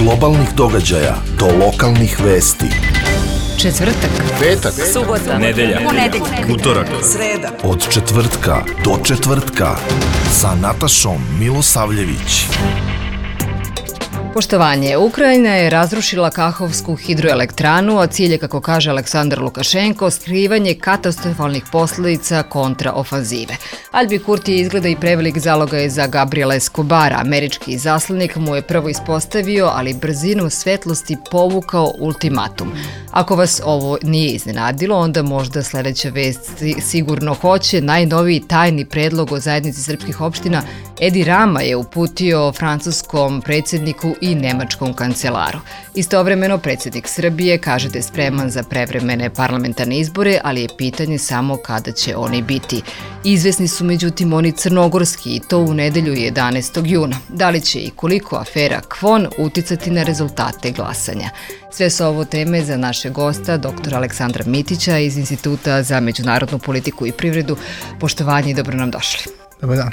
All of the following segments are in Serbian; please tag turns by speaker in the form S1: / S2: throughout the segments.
S1: globalnih događaja do lokalnih vesti.
S2: Četvrtak,
S1: petak,
S2: subota,
S3: nedelja, utorak,
S2: sreda.
S1: Od četvrtka do četvrtka sa Natašom Milosavljević.
S2: Poštovanje, Ukrajina je razrušila Kahovsku hidroelektranu, a cilj je, kako kaže Aleksandar Lukašenko, skrivanje katastrofalnih posljedica kontraofanzive. Albin Kurti izgleda i prevelik zalogaj za Gabriela Escobara. Američki izaslanik mu je prvo ispostavio, ali brzinom svetlosti povukao ultimatum. Ako vas ovo nije iznenadilo, onda možda sljedeća vest sigurno hoće. Najnoviji tajni predlog o zajednici srpskih opština Edi Rama je uputio francuskom predsjedniku i nemačkom kancelaru. Istovremeno, predsjednik Srbije kaže da je spreman za prevremene parlamentarne izbore, ali je pitanje samo kada će oni biti. Izvesni su međutim oni crnogorski, i to u nedelju 11. juna. Da li će i koliko afera Kvon uticati na rezultate glasanja? Sve su ovo teme za našeg gosta, dr. Aleksandra Mitića iz Instituta za međunarodnu politiku i privredu. Poštovanje i dobro nam došli.
S4: Dobar dan.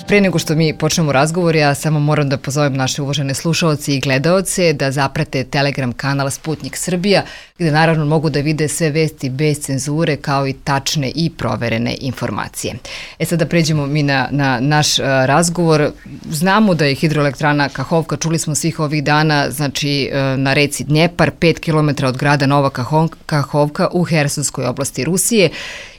S2: Pre nego što mi počnemo razgovor, ja samo moram da pozovem naše uvažene slušaoci i gledaoce da zaprate Telegram kanal Sputnik Srbija, gde naravno mogu da vide sve vesti bez cenzure, kao i tačne i proverene informacije. Sad da pređemo mi na naš razgovor. Znamo da je hidroelektrana Kahovka, čuli smo svih ovih dana, znači na reci Dnjepar, 5 km od grada Nova Kahovka u Hersonskoj oblasti Rusije.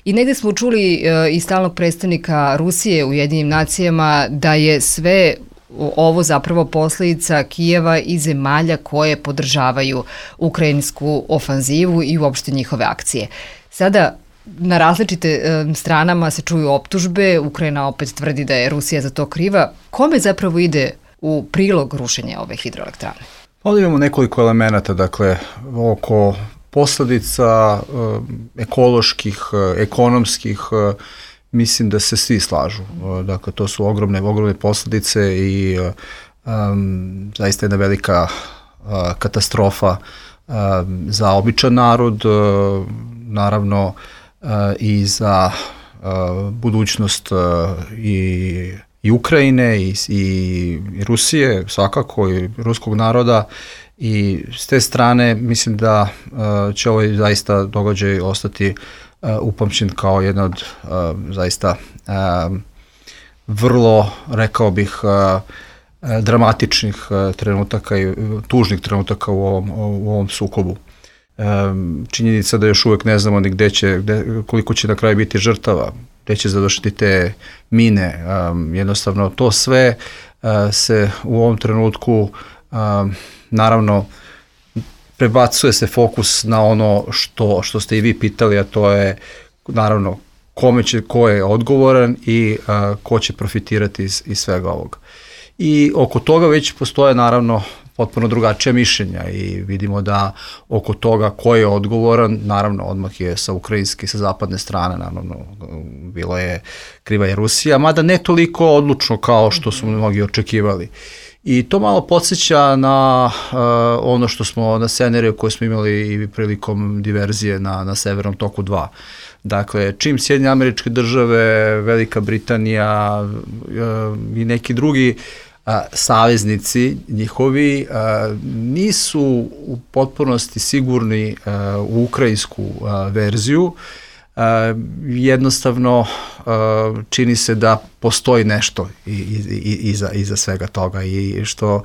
S2: I negdje smo čuli i stalnog predstavnika Rusije u Ujedinjenim nacijama da je sve ovo zapravo posljedica Kijeva i zemalja koje podržavaju ukrajinsku ofanzivu i uopšte njihove akcije. Sada na različite stranama se čuju optužbe, Ukrajina opet tvrdi da je Rusija za to kriva. Kome zapravo ide u prilog rušenja ove hidroelektrane?
S4: Ovdje imamo nekoliko elemenata, dakle, oko posljedica ekoloških, ekonomskih, mislim da se svi slažu. Dakle, to su ogromne posljedice i zaista jedna velika katastrofa za običan narod, naravno i za budućnost i Ukrajine i Rusije, svakako i ruskog naroda. I s te strane mislim da će ovaj zaista događaj ostati upamćen kao jedna od zaista vrlo, rekao bih, dramatičnih trenutaka i tužnih trenutaka u ovom sukobu. Činjenica da još uvijek ne znamo ni koliko će na kraju biti žrtava, gdje će završiti te mine, jednostavno to sve se u ovom trenutku naravno prebacuje se fokus na ono što ste i vi pitali, a to je naravno ko je odgovoran i ko će profitirati iz svega ovoga. I oko toga već postoje naravno potpuno drugačija mišljenja i vidimo da oko toga ko je odgovoran, naravno odmah je sa ukrajinske i sa zapadne strane, naravno bilo je kriva je Rusija, mada ne toliko odlučno kao što su mnogi očekivali. I to malo podsjeća na ono što smo na scenariju koje smo imali i prilikom diverzije na Severnom toku 2. Dakle, čim Sjedinjene Američke Države, Velika Britanija i neki drugi saveznici njihovi nisu u potpunosti sigurni u ukrajinsku verziju, jednostavno čini se da postoji nešto iza svega toga i što,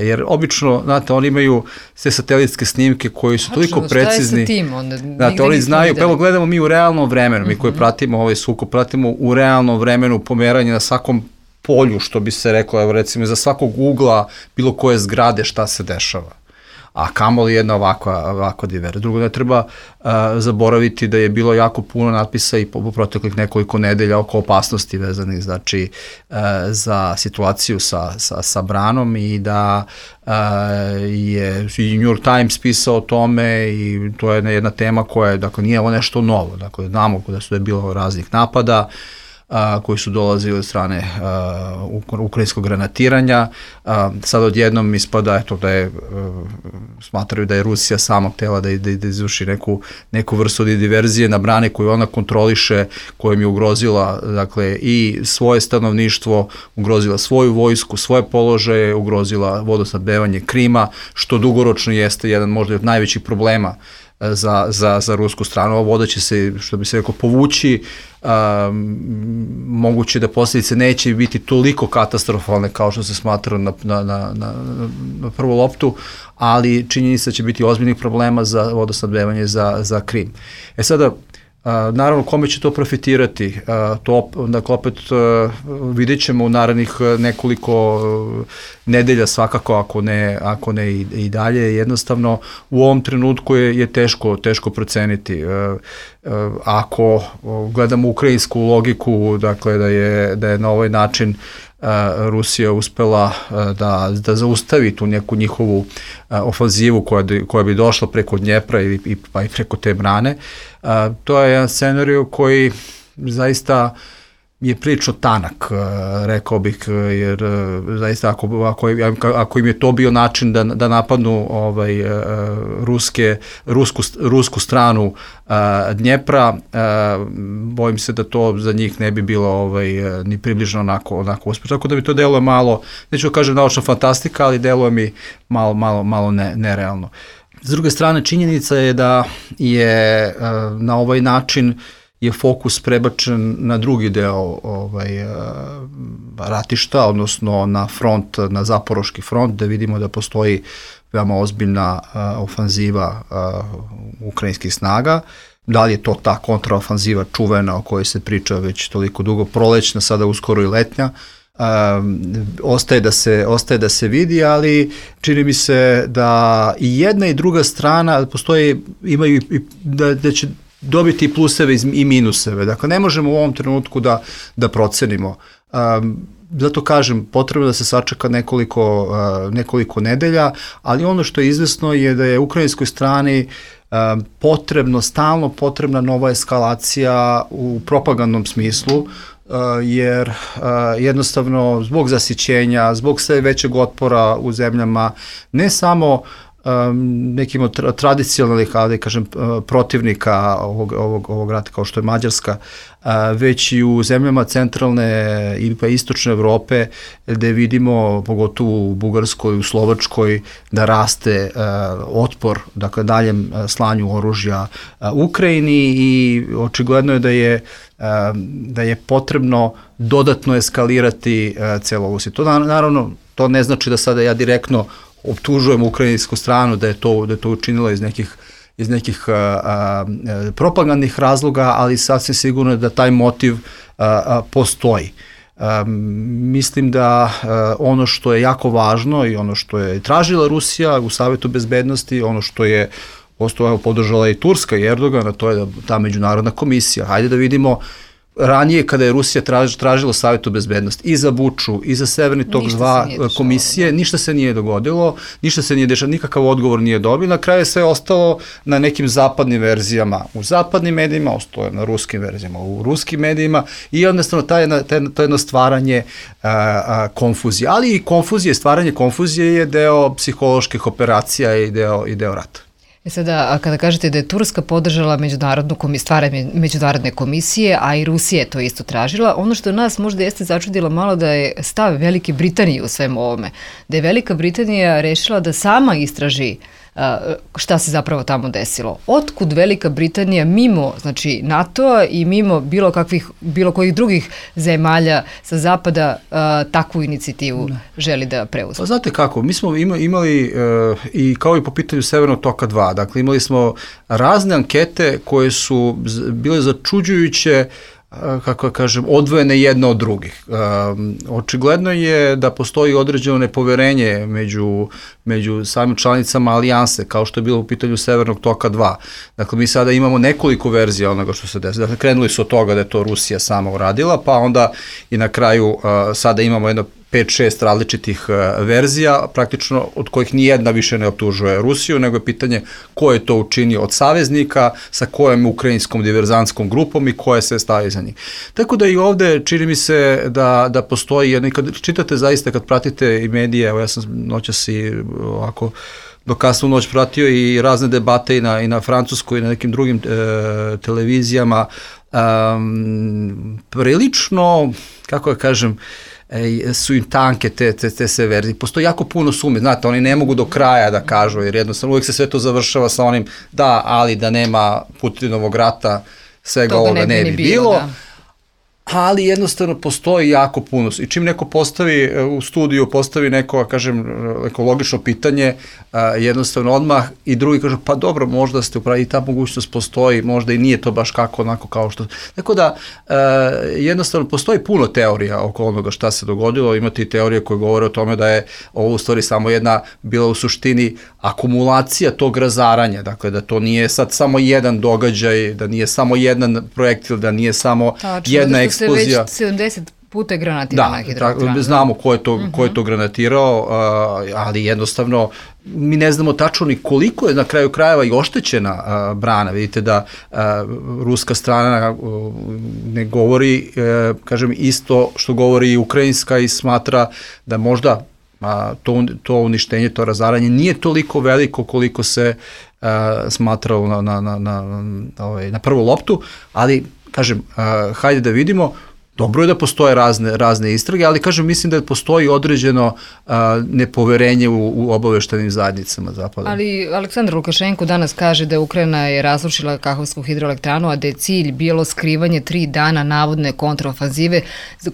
S4: jer obično, znate, oni imaju sve satelitske snimke koji su toliko precizni.
S2: Šta je sa tim onda?
S4: Znate, oni znaju, pa evo gledamo mi u realnom vremenu, mi koji pratimo ovaj sukob, pratimo u realnom vremenu pomeranje na svakom polju, što bi se reklo, evo recimo za svakog ugla bilo koje zgrade šta se dešava. A kamoli jedna ovakva diverzija. Drugo, ne treba zaboraviti da je bilo jako puno natpisa i po proteklih nekoliko nedelja oko opasnosti vezanih, znači, za situaciju sa branom i da je i New York Times pisao o tome i to je jedna tema koja je, dakle, nije ovo nešto novo. Dakle, znamo da je bilo raznih napada, koji su dolazili od strane ukrajinskog granatiranja. Sad odjednom ispada da je, smatraju da je Rusija sama htela da izvrši neku vrstu diverzije na brane koju ona kontroliše, kojom je ugrozila dakle, i svoje stanovništvo, ugrozila svoju vojsku, svoje položaje, ugrozila vodosnabdevanje Krima, što dugoročno jeste jedan možda od najvećih problema za rusku stranu. Ova voda će se, što bi se rekao, povući, moguće da posljedice neće biti toliko katastrofalne kao što se smatra na prvu loptu, ali činjenica će biti ozbiljnih problema za vodosnabdevanje za Krim. Sada, naravno, kome će to profitirati? Dakle, opet vidjet ćemo u narednih nekoliko nedelja svakako, ako ne i dalje. Jednostavno, u ovom trenutku je teško proceniti. Ako gledamo ukrajinsku logiku, dakle, da je na ovaj način Rusija uspela da zaustavi tu neku njihovu ofanzivu koja bi došla preko Dnjepra pa i preko te brane. To je jedan scenarij koji zaista je prilično tanak, rekao bih, jer zaista ako im je to bio način da napadnu rusku stranu Dnjepra, bojim se da to za njih ne bi bilo ni približno onako uspješno. Tako da mi to deluje malo, neću da kažem naučna fantastika, ali deluje mi malo nerealno. S druge strane, činjenica je da je na ovaj način je fokus prebačen na drugi deo ratišta, odnosno na front, na Zaporoški front, da vidimo da postoji veoma ozbiljna ofanziva ukrajinskih snaga. Da li je to ta kontraofanziva čuvena o kojoj se priča već toliko dugo, prolećna, sada uskoro i letnja, ostaje da se vidi, ali čini mi se da i jedna i druga strana imaju da će dobiti i pluseve i minuseve. Dakle, ne možemo u ovom trenutku da procenimo. Zato kažem, potrebno da se sačeka nekoliko nedelja, ali ono što je izvesno je da je ukrajinskoj strani stalno potrebna nova eskalacija u propagandnom smislu, jer jednostavno zbog zasićenja, zbog sve većeg otpora u zemljama, ne samo nekim od tradicionalnih, ali kažem, protivnika ovog rata kao što je Mađarska, već i u zemljama centralne i pa istočne Evrope, gde vidimo, pogotovo u Bugarskoj, u Slovačkoj, da raste otpor, dakle, daljem slanju oružja Ukrajini, i očigledno je da je potrebno dodatno eskalirati celu ovu situaciju. Naravno, to ne znači da sada ja direktno optužujem ukrajinsku stranu da je to učinila iz nekih propagandnih razloga, ali sasvim sigurno je da taj motiv postoji. Mislim da ono što je jako važno i ono što je tražila Rusija u Savetu bezbednosti, ono što je podržala i Turska i Erdogan, a to je ta međunarodna komisija. Hajde da vidimo, ranije kada je Rusija tražila Savetu bezbednosti i za Buču i za Severni tok 2 komisije, ništa se nije dogodilo, ništa se nije dešalo, nikakav odgovor nije dobio. Na kraju je sve ostalo na nekim zapadnim verzijama, u zapadnim medijima, ostalo je na ruskim verzijama, u ruskim medijima, i jednostavno to jedno stvaranje konfuzije. Ali i stvaranje konfuzije je deo psiholoških operacija i deo rata.
S2: Sada, kada kažete da je Turska podržala stvaranje međunarodne komisije, a i Rusija je to isto tražila, ono što nas možda jeste začudilo malo da je stav Velike Britanije u svemu ovome. Da je Velika Britanija rešila da sama istraži šta se zapravo tamo desilo. Otkud Velika Britanija mimo, znači, NATO-a i mimo bilo kojih drugih zemalja sa zapada takvu inicijativu želi da preuzme?
S4: Pa znate kako, mi smo imali i kao i po pitanju Severnog toka 2, dakle imali smo razne ankete koje su bile začuđujuće, kako kažem, odvojene jedna od drugih. Očigledno je da postoji određeno nepoverenje među samim članicama alijanse, kao što je bilo u pitanju Severnog toka 2. Dakle, mi sada imamo nekoliko verzija onoga što se desilo. Dakle, krenuli su od toga da je to Rusija sama uradila, pa onda i na kraju sada imamo jedno 5-6 različitih verzija, praktično od kojih nijedna više ne optužuje Rusiju, nego je pitanje ko je to učinio od saveznika, sa kojom ukrajinskom diverzantskom grupom i koje se stavi za njih. Tako da i ovde čini mi se da postoji jedno, i kad čitate zaista, kad pratite i medije, evo ja sam noćas i ovako do kasnu noć pratio i razne debate i na francuskoj i na nekim drugim televizijama, prilično, kako ja kažem, su im tanke te sve verzije. Postoji jako puno sume, znate, oni ne mogu do kraja da kažu, jer jednostavno uvijek se sve to završava sa onim da, ali da nema Putinovog rata, svega ovoga ne bi bilo. Da. Ali jednostavno postoji jako puno. I čim neko postavi u studiju, postavi neko, kažem, neko logično pitanje, jednostavno odmah i drugi kaže, pa dobro, možda ste upravi, i ta mogućnost postoji, možda i nije to baš kako onako kao što... Tako da, jednostavno postoji puno teorija oko onoga šta se dogodilo, imate i teorije koje govore o tome da je ovo u stvari samo jedna, bila u suštini akumulacija tog razaranja, dakle da to nije sad samo jedan događaj, da nije samo jedan projektil, da nije samo jedna eksplozija.
S2: Već 70 puta je granatirana hidroelektrana.
S4: Da, znamo ko je to granatirao, ali jednostavno mi ne znamo tačno ni koliko je na kraju krajeva i oštećena brana. Vidite da ruska strana ne govori, kažem, isto što govori i ukrajinska i smatra da možda to uništenje, to razaranje nije toliko veliko koliko se smatralo na prvu loptu, ali kažem, hajde da vidimo, dobro je da postoje razne istrage, ali kažem, mislim da postoji određeno nepoverenje u obaveštajnim zajednicama Zapada.
S2: Ali Aleksandar Lukašenko danas kaže da Ukrajina je razrušila Kahovsku hidroelektranu, a da je cilj bilo skrivanje 3 dana navodne kontraofanzive,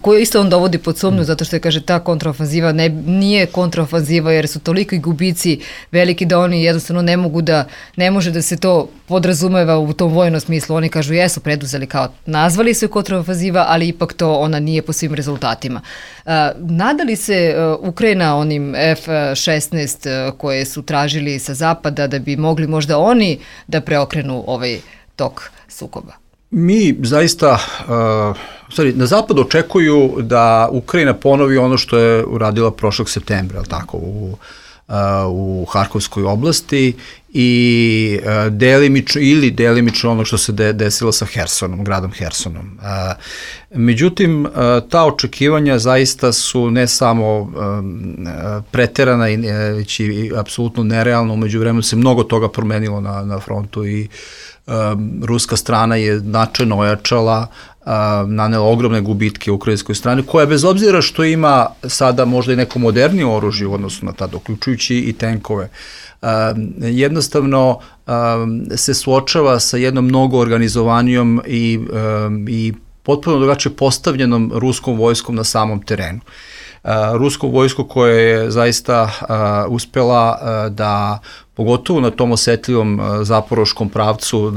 S2: koju isto on dovodi pod sumnju, zato što je, kaže, ta kontraofanziva nije kontraofanziva jer su toliki gubici veliki da oni jednostavno ne može da se to podrazumeva u tom vojnom smislu. Oni kažu jesu preduzeli kao nazvali su kontraofanziva, ali ipak to ona nije po svim rezultatima. Nadali se Ukrajina onim F-16 koje su tražili sa zapada da bi mogli možda oni da preokrenu ovaj tok sukoba?
S4: Mi zaista, na zapadu očekuju da Ukrajina ponovi ono što je uradila prošlog septembra, tako, u Harkovskoj oblasti i delimično ono što se desilo sa Hersonom, gradom Hersonom. Međutim, ta očekivanja zaista su ne samo preterana, već i apsolutno nerealno. Umeđu vremenu se mnogo toga promenilo na frontu i ruska strana je značajno ojačala, nanela ogromne gubitke ukrajinskoj strani, koja bez obzira što ima sada možda i neko modernije oružje u odnosu na tada, uključujući i tenkove, jednostavno se suočava sa jednom mnogo organizovanijom i potpuno drugačije postavljenom ruskom vojskom na samom terenu. Ruskom vojsku koja je zaista uspela da, pogotovo na tom osetljivom zaporoškom pravcu,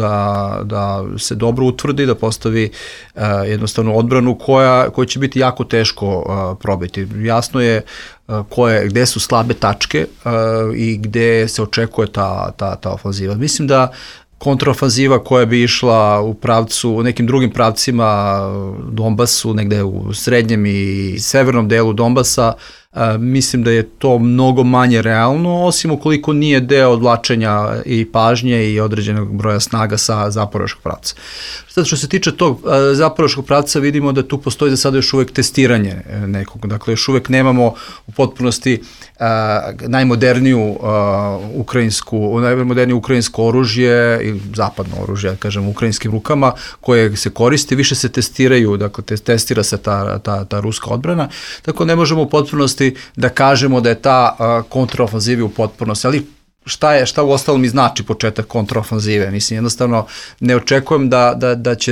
S4: da se dobro utvrdi, da postavi jednostavno odbranu koja će biti jako teško probiti. Jasno je gde su slabe tačke i gde se očekuje ta ofanziva. Mislim da kontraofanziva koja bi išla u nekim drugim pravcima Donbasu, negde u srednjem i severnom delu Donbasa, mislim da je to mnogo manje realno, osim ukoliko nije deo odvlačenja i pažnje i određenog broja snaga sa zaporoškog pravca. Sad što se tiče tog zaporoškog pravca, vidimo da tu postoji za sada još uvek testiranje nekog, dakle još uvek nemamo u potpunosti najmodernije ukrajinsko oružje ili zapadno oružje, kažem, u ukrajinskim rukama koje se koristi, više se testiraju, dakle testira se ta ruska odbrana, tako ne možemo u potpunosti da kažemo da je ta kontraofanziva u potpunosti, ali šta u ostalom i znači početak kontraofanzive? Mislim, jednostavno ne očekujem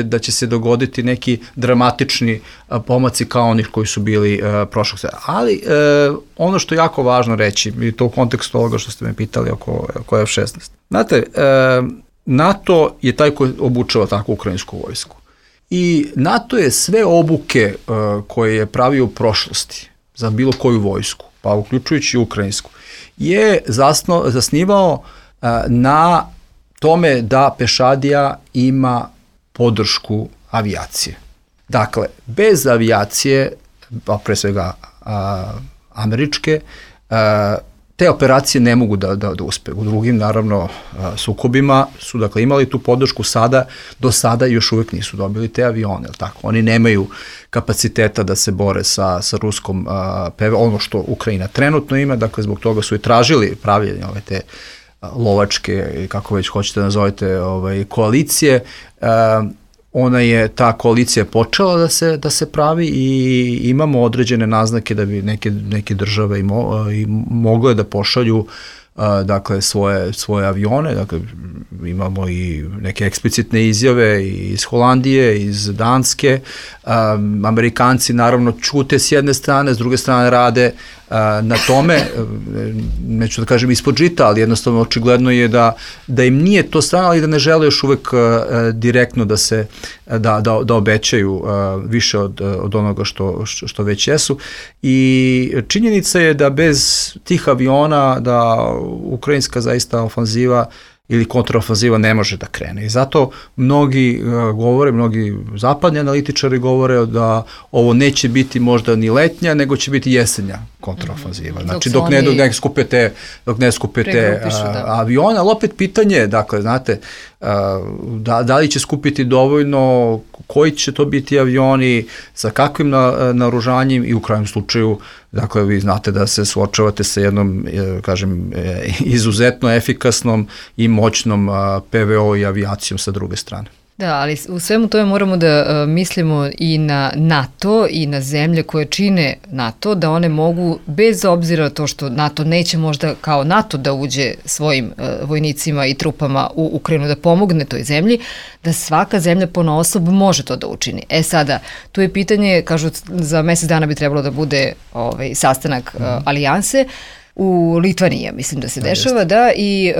S4: da će se dogoditi neki dramatični pomaci kao onih koji su bili prošlog sveta. Ali ono što je jako važno reći, i to u kontekstu ovoga što ste me pitali oko F-16. Znate, NATO je taj koji obučava takvu ukrajinsku vojsku. I NATO je sve obuke koje je pravio u prošlosti za bilo koju vojsku, pa uključujući ukrajinsku, je zasnivao na tome da pešadija ima podršku avijacije. Dakle, bez avijacije, pa pre svega američke, te operacije ne mogu da uspe. U drugim, naravno, sukobima su dakle imali tu podršku, do sada još uvek nisu dobili te avione, tako? Oni nemaju kapaciteta da se bore sa ruskom PVO, ono što Ukrajina trenutno ima, dakle zbog toga su i tražili pravljenje ove te lovačke, kako već hoćete nazovete, koalicije. Ta koalicija je počela da se pravi i imamo određene naznake da bi neke države i mogle da pošalju dakle svoje avione, dakle imamo i neke eksplicitne izjave iz Holandije, iz Danske. Amerikanci naravno ćute s jedne strane, s druge strane rade na tome, neću da kažem ispod žita, ali jednostavno očigledno je da im nije to strano, ali da ne žele još uvek direktno da obećaju više od onoga što već jesu. I činjenica je da bez tih aviona da ukrajinska zaista ofanziva ili kontraofanziva ne može da krene. I zato mnogi zapadni analitičari govore da ovo neće biti možda ni letnja, nego će biti jesenja kontraofanziva. Znači dok ne skupe te avione, ali opet pitanje, dakle, znate, da li će skupiti dovoljno, koji će to biti avioni, sa kakvim naoružanjem i u krajnjem slučaju, dakle, vi znate da se suočavate sa jednom, kažem, izuzetno efikasnom i moćnom PVO i avijacijom sa druge strane.
S2: Da, ali u svemu tome moramo da mislimo i na NATO i na zemlje koje čine NATO, da one mogu, bez obzira na to što NATO neće možda kao NATO da uđe svojim vojnicima i trupama u Ukrajinu da pomogne toj zemlji, da svaka zemlja ponaosob može to da učini. Sada, tu je pitanje, kažu, za mesec dana bi trebalo da bude sastanak alijanse, u Litvaniji, mislim da se dešava, da, i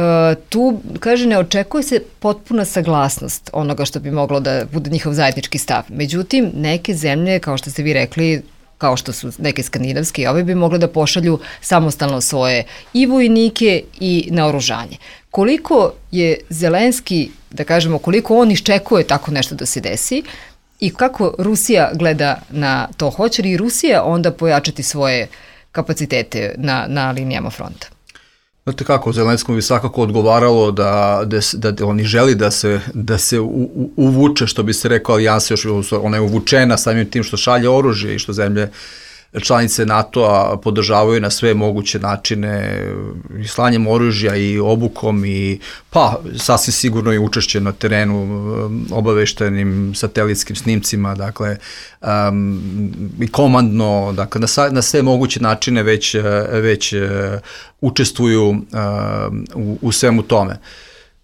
S2: tu, kaže, ne očekuje se potpuna saglasnost onoga što bi moglo da bude njihov zajednički stav. Međutim, neke zemlje, kao što ste vi rekli, kao što su neke skandinavske, ove bi mogle da pošalju samostalno svoje i vojnike i naoružanje. Koliko je Zelenski, da kažemo, koliko on iščekuje tako nešto da se desi i kako Rusija gleda na to? Hoće li Rusija onda pojačati svoje kapacitete na linijama fronta?
S4: Znate kako, Zelenskom bi svakako odgovaralo da oni želi da se uvuče, što bi se rekao, alijansa, ona je uvučena samim tim što šalje oružje i što zemlje članice NATO-a podržavaju na sve moguće načine i slanjem oružja i obukom i sasvim sigurno i učešće na terenu, obaveštenim satelitskim snimcima, dakle i komandno, dakle na sve moguće načine već učestvuju u svemu tome.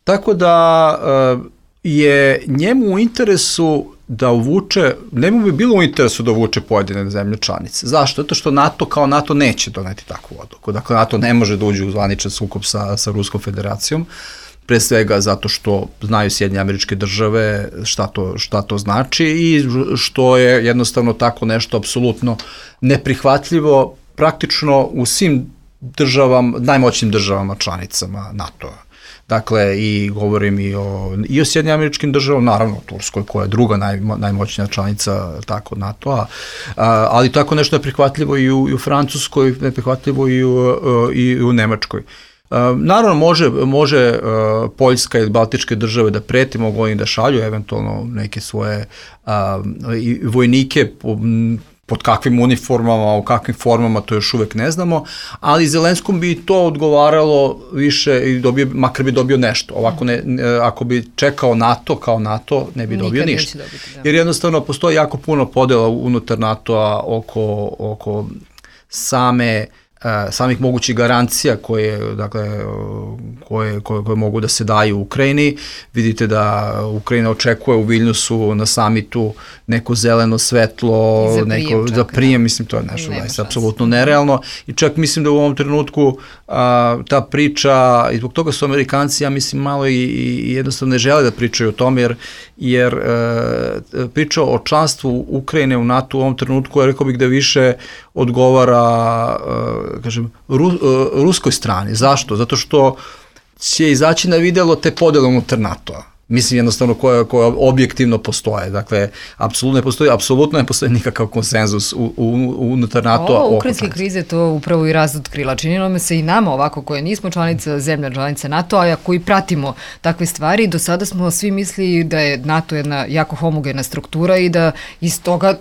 S4: Tako da je njemu u interesu da uvuče, njemu bi bilo u interesu da uvuče pojedine zemlje članice. Zašto? Zato što NATO kao NATO neće doneti takvu odluku. Dakle, NATO ne može da uđe u zvaničan sukob sa Ruskom federacijom, pre svega zato što znaju Sjedinjene Američke Države šta to znači i što je jednostavno tako nešto apsolutno neprihvatljivo praktično u svim državama, najmoćnim državama članicama NATO-a. Dakle, i govorim i o Sjedinjenim Američkim Državama, naravno Turskoj, koja je druga najmoćnija članica tako NATO-a, ali tako nešto je prihvatljivo i u Francuskoj, neprihvatljivo i u Nemačkoj. Naravno, može Poljska ili Baltičke države da preti, mogu oni da šalju eventualno neke svoje vojnike pod kakvim uniformama, u kakvim formama, to još uvek ne znamo, ali Zelenskom bi to odgovaralo više i makar bi dobio nešto. Ovako ako bi čekao NATO kao NATO, ne bi dobio ništa. Jer jednostavno postoji jako puno podela unutar NATO-a oko samih mogućih garancija koje mogu da se daju Ukrajini. Vidite da Ukrajina očekuje u Vilniusu na samitu neko zeleno svetlo, za prijem, mislim, to je nešto apsolutno nerealno i čak mislim da u ovom trenutku ta priča, i zbog toga su Amerikanci, ja mislim, malo i jednostavno ne žele da pričaju o tome, jer priča o članstvu Ukrajine u NATO u ovom trenutku, ja rekao bih da više odgovara, kažem, ruskoj strani. Zašto? Zato što će izaći na videlo te podele unutar NATO-a. mislim jednostavno koje objektivno postoje. Dakle, apsolutno ne postoji nikakav konsenzus unutar NATO-a.
S2: Ovo ukrajinske krize to upravo i razotkrila. Činilo me se i nama ovako koje nismo zemlja članica NATO-a, a koji pratimo takve stvari. Do sada smo svi mislili da je NATO jedna jako homogena struktura i da iz toga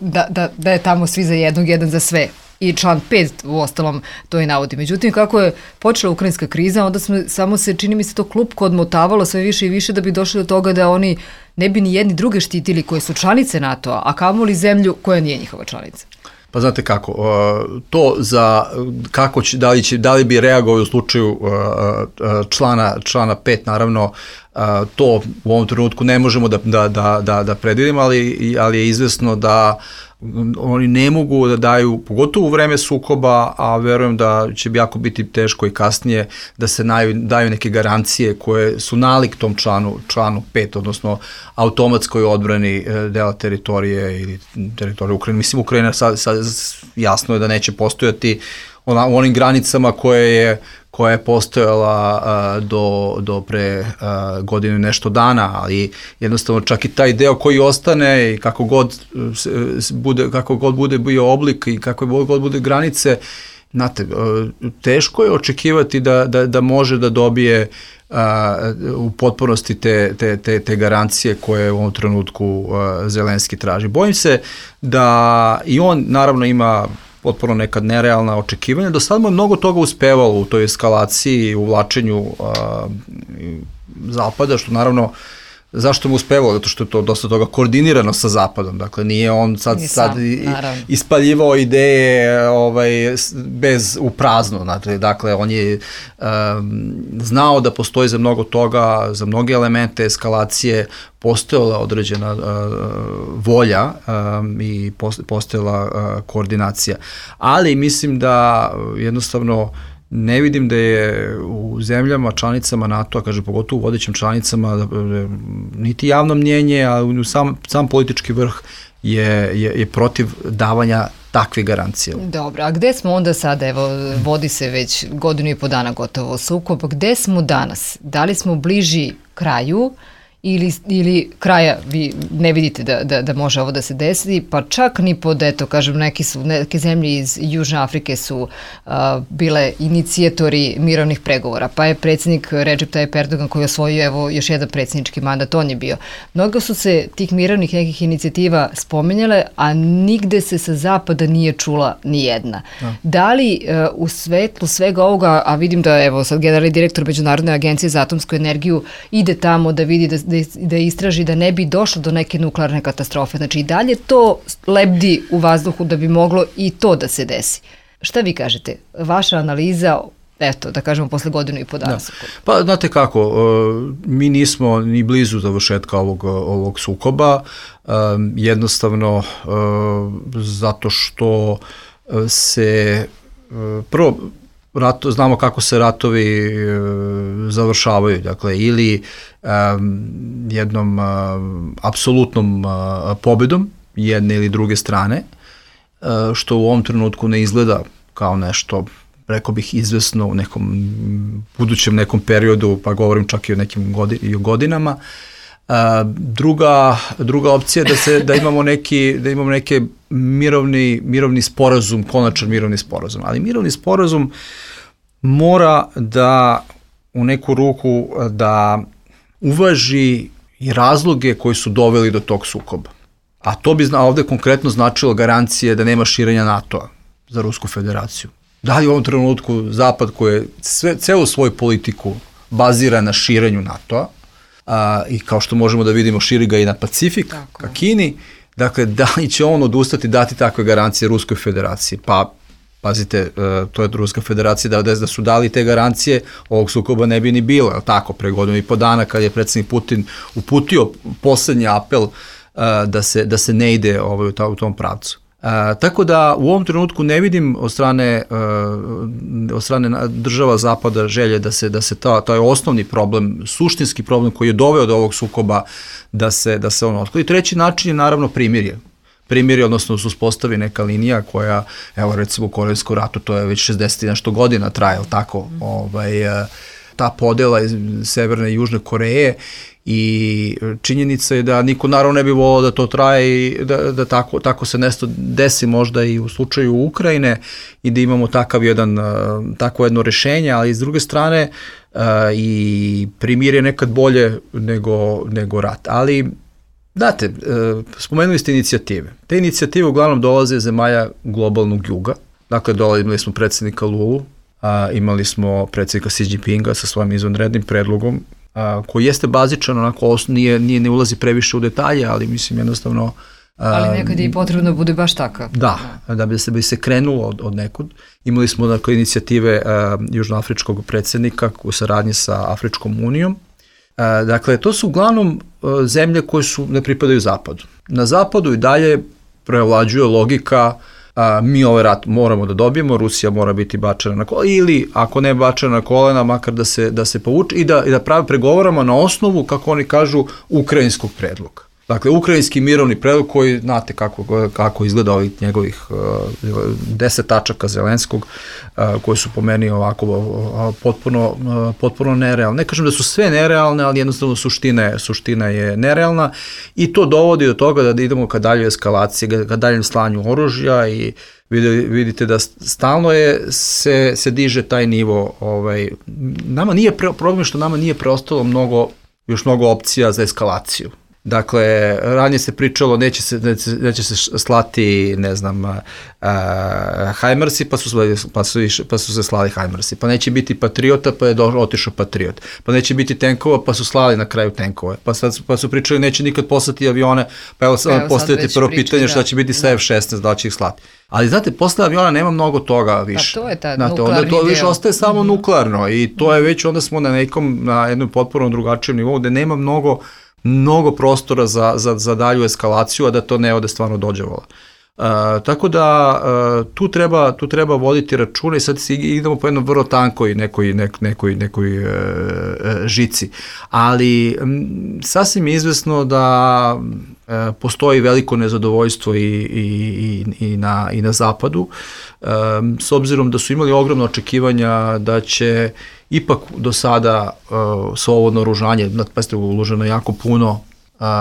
S2: da je tamo svi za jednog, jedan za sve. I član 5 u ostalom to i navodi. Međutim, kako je počela ukrajinska kriza, onda samo se, čini mi se, to klupko odmotavalo sve više i više da bi došli do toga da oni ne bi ni jedni druge štitili koje su članice NATO-a, a kamoli zemlju koja nije njihova članica.
S4: Pa znate kako, to za kako će, da li bi reagovao u slučaju člana 5, naravno, to u ovom trenutku ne možemo da predvidimo, ali je izvesno da oni ne mogu da daju, pogotovo u vreme sukoba, a verujem da će jako biti teško i kasnije, da se daju neke garancije koje su nalik tom članu 5, odnosno automatskoj odbrani dela teritorije ili teritorije Ukrajine. Mislim, Ukrajina sad jasno je da neće postojati u onim granicama koje je postojala do pre godinu i nešto dana, ali jednostavno čak i taj deo koji ostane i kako god bude bio oblik i kako god bude granice, znate, teško je očekivati da može da dobije u potpunosti te garancije koje u ovom trenutku Zelenski traži. Bojim se da i on naravno ima potpuno nekad nerealna očekivanja. Do sad mu je mnogo toga uspevalo u toj eskalaciji, u uvlačenju Zapada, što naravno, zašto mu uspevalo? Zato što je to dosta toga koordinirano sa Zapadom. Dakle, nije on sad ispaljivao ideje bez u prazno. Dakle, on je znao da postoji za mnogo toga, za mnoge elemente eskalacije, postojala određena volja i postojala koordinacija. Ali mislim da jednostavno ne vidim da je u zemljama, članicama NATO-a, kaže pogotovo u vodećim članicama, niti javno mnjenje, a sam politički vrh je protiv davanja takve garancije.
S2: Dobro, a gde smo onda sada, evo, vodi se već godinu i po dana gotovo sukob, gde smo danas? Da li smo bliži kraju ili kraja vi ne vidite da može ovo da se desi, pa čak ni pod, eto, kažem, neke zemlje iz Južne Afrike su bile inicijatori mirovnih pregovora, pa je predsjednik Recep Tayyip Erdogan koji je osvojio, evo, još jedan predsjednički mandat, on je bio. Mnogo su se tih mirovnih nekih inicijativa spominjale, a nigde se sa zapada nije čula ni jedna. Da li u svetlu svega ovoga, a vidim da, evo, sad generalni direktor Međunarodne agencije za atomsku energiju ide tamo da vidi da istraži da ne bi došlo do neke nuklearne katastrofe. Znači i dalje to lebdi u vazduhu da bi moglo i to da se desi. Šta vi kažete? Vaša analiza, eto, da kažemo, posle godinu i po dana.
S4: Pa, znate kako, mi nismo ni blizu završetka ovog sukoba, jednostavno zato što se prvo znamo kako se ratovi završavaju, dakle, ili jednom apsolutnom pobedom jedne ili druge strane, što u ovom trenutku ne izgleda kao nešto, rekao bih, izvesno u nekom budućem nekom periodu, pa govorim čak i o nekim godinama. Druga opcija je da imamo neki mirovni sporazum, konačan mirovni sporazum. Ali mirovni sporazum mora da u neku ruku da uvaži i razloge koji su doveli do tog sukoba. A to bi ovde konkretno značilo garancije da nema širenja NATO-a za Rusku federaciju. Da li u ovom trenutku Zapad koji je celu svoju politiku bazira na širenju NATO-a, i kao što možemo da vidimo širi ga i na Pacifik, ka Kini, dakle, da li će on odustati dati takve garancije Ruskoj federaciji? Pa, pazite, to je Ruska federacija, da su dali te garancije, ovog sukoba ne bi ni bilo, je tako, pre godinu i po dana kad je predsjednik Putin uputio poslednji apel da se ne ide u tom pravcu. Tako da u ovom trenutku ne vidim od strane država Zapada želje da se taj osnovni problem, suštinski problem koji je doveo do ovog sukoba, da se on otkloni. Treći način je naravno primirje, odnosno se uspostavi neka linija koja, evo recimo u Korejskom ratu, to je već 60 i nešto godina traje, tako, ta podela iz Severne i Južne Koreje I činjenica je da niko naravno ne bi volao da to traje i da tako se nešto desi možda i u slučaju Ukrajine i da imamo takvo jedno rešenje, ali s druge strane i primir je nekad bolje nego rat. Ali, znate, spomenuli ste inicijative. Te inicijative uglavnom dolaze iz zemalja globalnog juga. Dakle, imali smo predsjednika Lulu, imali smo predsjednika Xi Jinpinga sa svojim izvanrednim predlogom, koji jeste bazičan, onako ne ulazi previše u detalje, ali mislim jednostavno...
S2: Ali nekad je i potrebno bude baš takav.
S4: Da bi se krenulo od nekud. Imali smo dakle inicijative južnoafričkog predsjednika u saradnji sa Afričkom unijom. Dakle, to su uglavnom zemlje koje ne pripadaju zapadu. Na zapadu i dalje prevlađuje logika mi ovaj rat moramo da dobijemo, Rusija mora biti bačena na kolena, ili ako ne bačena na kolena, makar da se povuče i da pregovaramo na osnovu, kako oni kažu, ukrajinskog predloga. Dakle, ukrajinski mirovni predlog koji, znate kako izgleda ovih njegovih 10 tačaka Zelenskog, koji su po meni ovako potpuno nerealne. Ne kažem da su sve nerealne, ali jednostavno suština je nerealna i to dovodi do toga da idemo ka daljoj eskalaciji, ka daljem slanju oružja i vidite da stalno se diže taj nivo. Nama nije problem što nama nije preostalo još mnogo opcija za eskalaciju. Dakle, ranije se pričalo neće se slati, ne znam, Hajmarsi, pa su se slali Hajmarsi, pa neće biti Patriota, pa je otišao Patriot, pa neće biti tenkova, pa su slali na kraju tenkove, pa su pričali neće nikad poslati avione, pa evo sad postavite prvo pitanje šta će biti sa F-16, da će ih slati. Ali znate, posle aviona nema mnogo toga više.
S2: Pa to je ta
S4: nuklearni deo. To više ostaje samo nuklearno i to je već, onda smo na jednom potpuno drugačijem nivou gde nema mnogo prostora za dalju eskalaciju, a da to ne ode stvarno dođevala. Tako da tu treba voditi računa i sad idemo po jednom vrlo tankoj nekoj žici. Ali sasvim je izvesno da postoji veliko nezadovoljstvo i na zapadu, s obzirom da su imali ogromno očekivanja da će ipak do sada svo ovo naoružanje, pazite, uloženo jako puno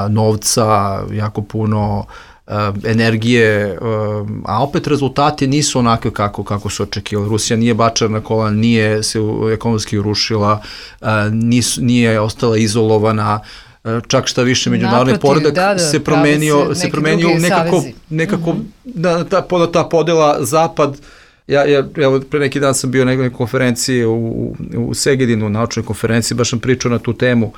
S4: novca, jako puno energije, a opet rezultati nisu onakve kako su očekivali. Rusija nije bačena na kolena, nije se ekonomski urušila, nije ostala izolovana, čak šta više međunarodni poredak se promenio nekako ta podela zapad. Evo, pre neki dan sam bio na nekoj konferenciji u Segedinu, naučnoj konferenciji, baš sam pričao na tu temu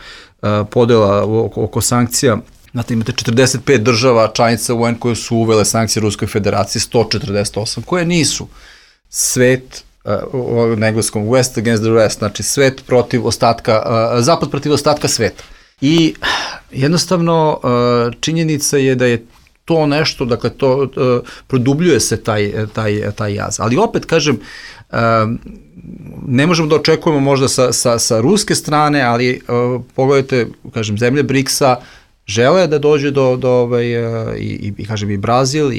S4: podela oko sankcija. Znate, imate 45 država članica UN koje su uvele sankcije Ruskoj federaciji, 148 koje nisu. Svet, na engleskom West against the rest, znači svet protiv ostatka, zapad protiv ostatka sveta. I jednostavno činjenica je da je to nešto, dakle, to produbljuje se taj jaz. Ali opet, kažem, ne možemo da očekujemo možda sa ruske strane, ali pogledajte, kažem, zemlje BRICS-a žele da dođe i kažem i Brazil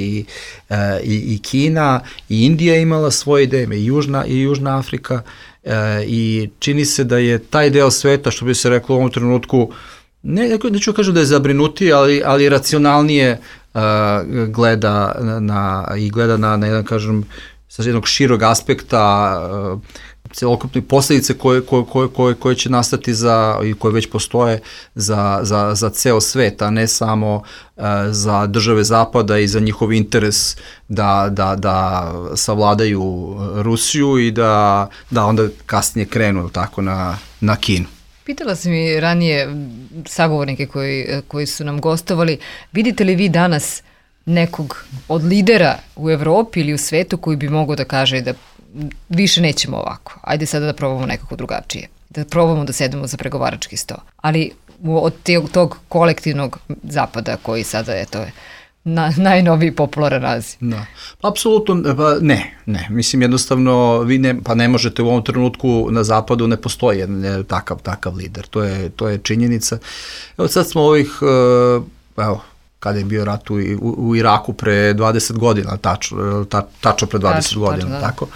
S4: i Kina i Indija imala svoje ideje, i Južna Afrika i čini se da je taj deo sveta, što bi se reklo u ovom trenutku, neću kažem da je zabrinutiji, ali racionalnije gleda na jedan, kažem, sa jednog širog aspekta celokupne posledice koje će nastati i koje već postoje za ceo svet, a ne samo za države zapada i za njihov interes da savladaju Rusiju i da onda kasnije krenu tako na Kinu.
S2: Pitala sam i ranije sagovornike koji su nam gostovali, vidite li vi danas nekog od lidera u Evropi ili u svetu koji bi mogao da kaže da više nećemo ovako, ajde sada da probamo nekako drugačije, da probamo da sedemo za pregovarački sto, ali od tog kolektivnog zapada koji sada je najnoviji popularan naziv. Da.
S4: Apsolutno, ne. Mislim, jednostavno, vi ne možete u ovom trenutku na zapadu, ne postoji jedan takav lider. To je činjenica. Evo sad smo kada je bio rat u Iraku pre 20 godina, tačno pre 20 godina, tako.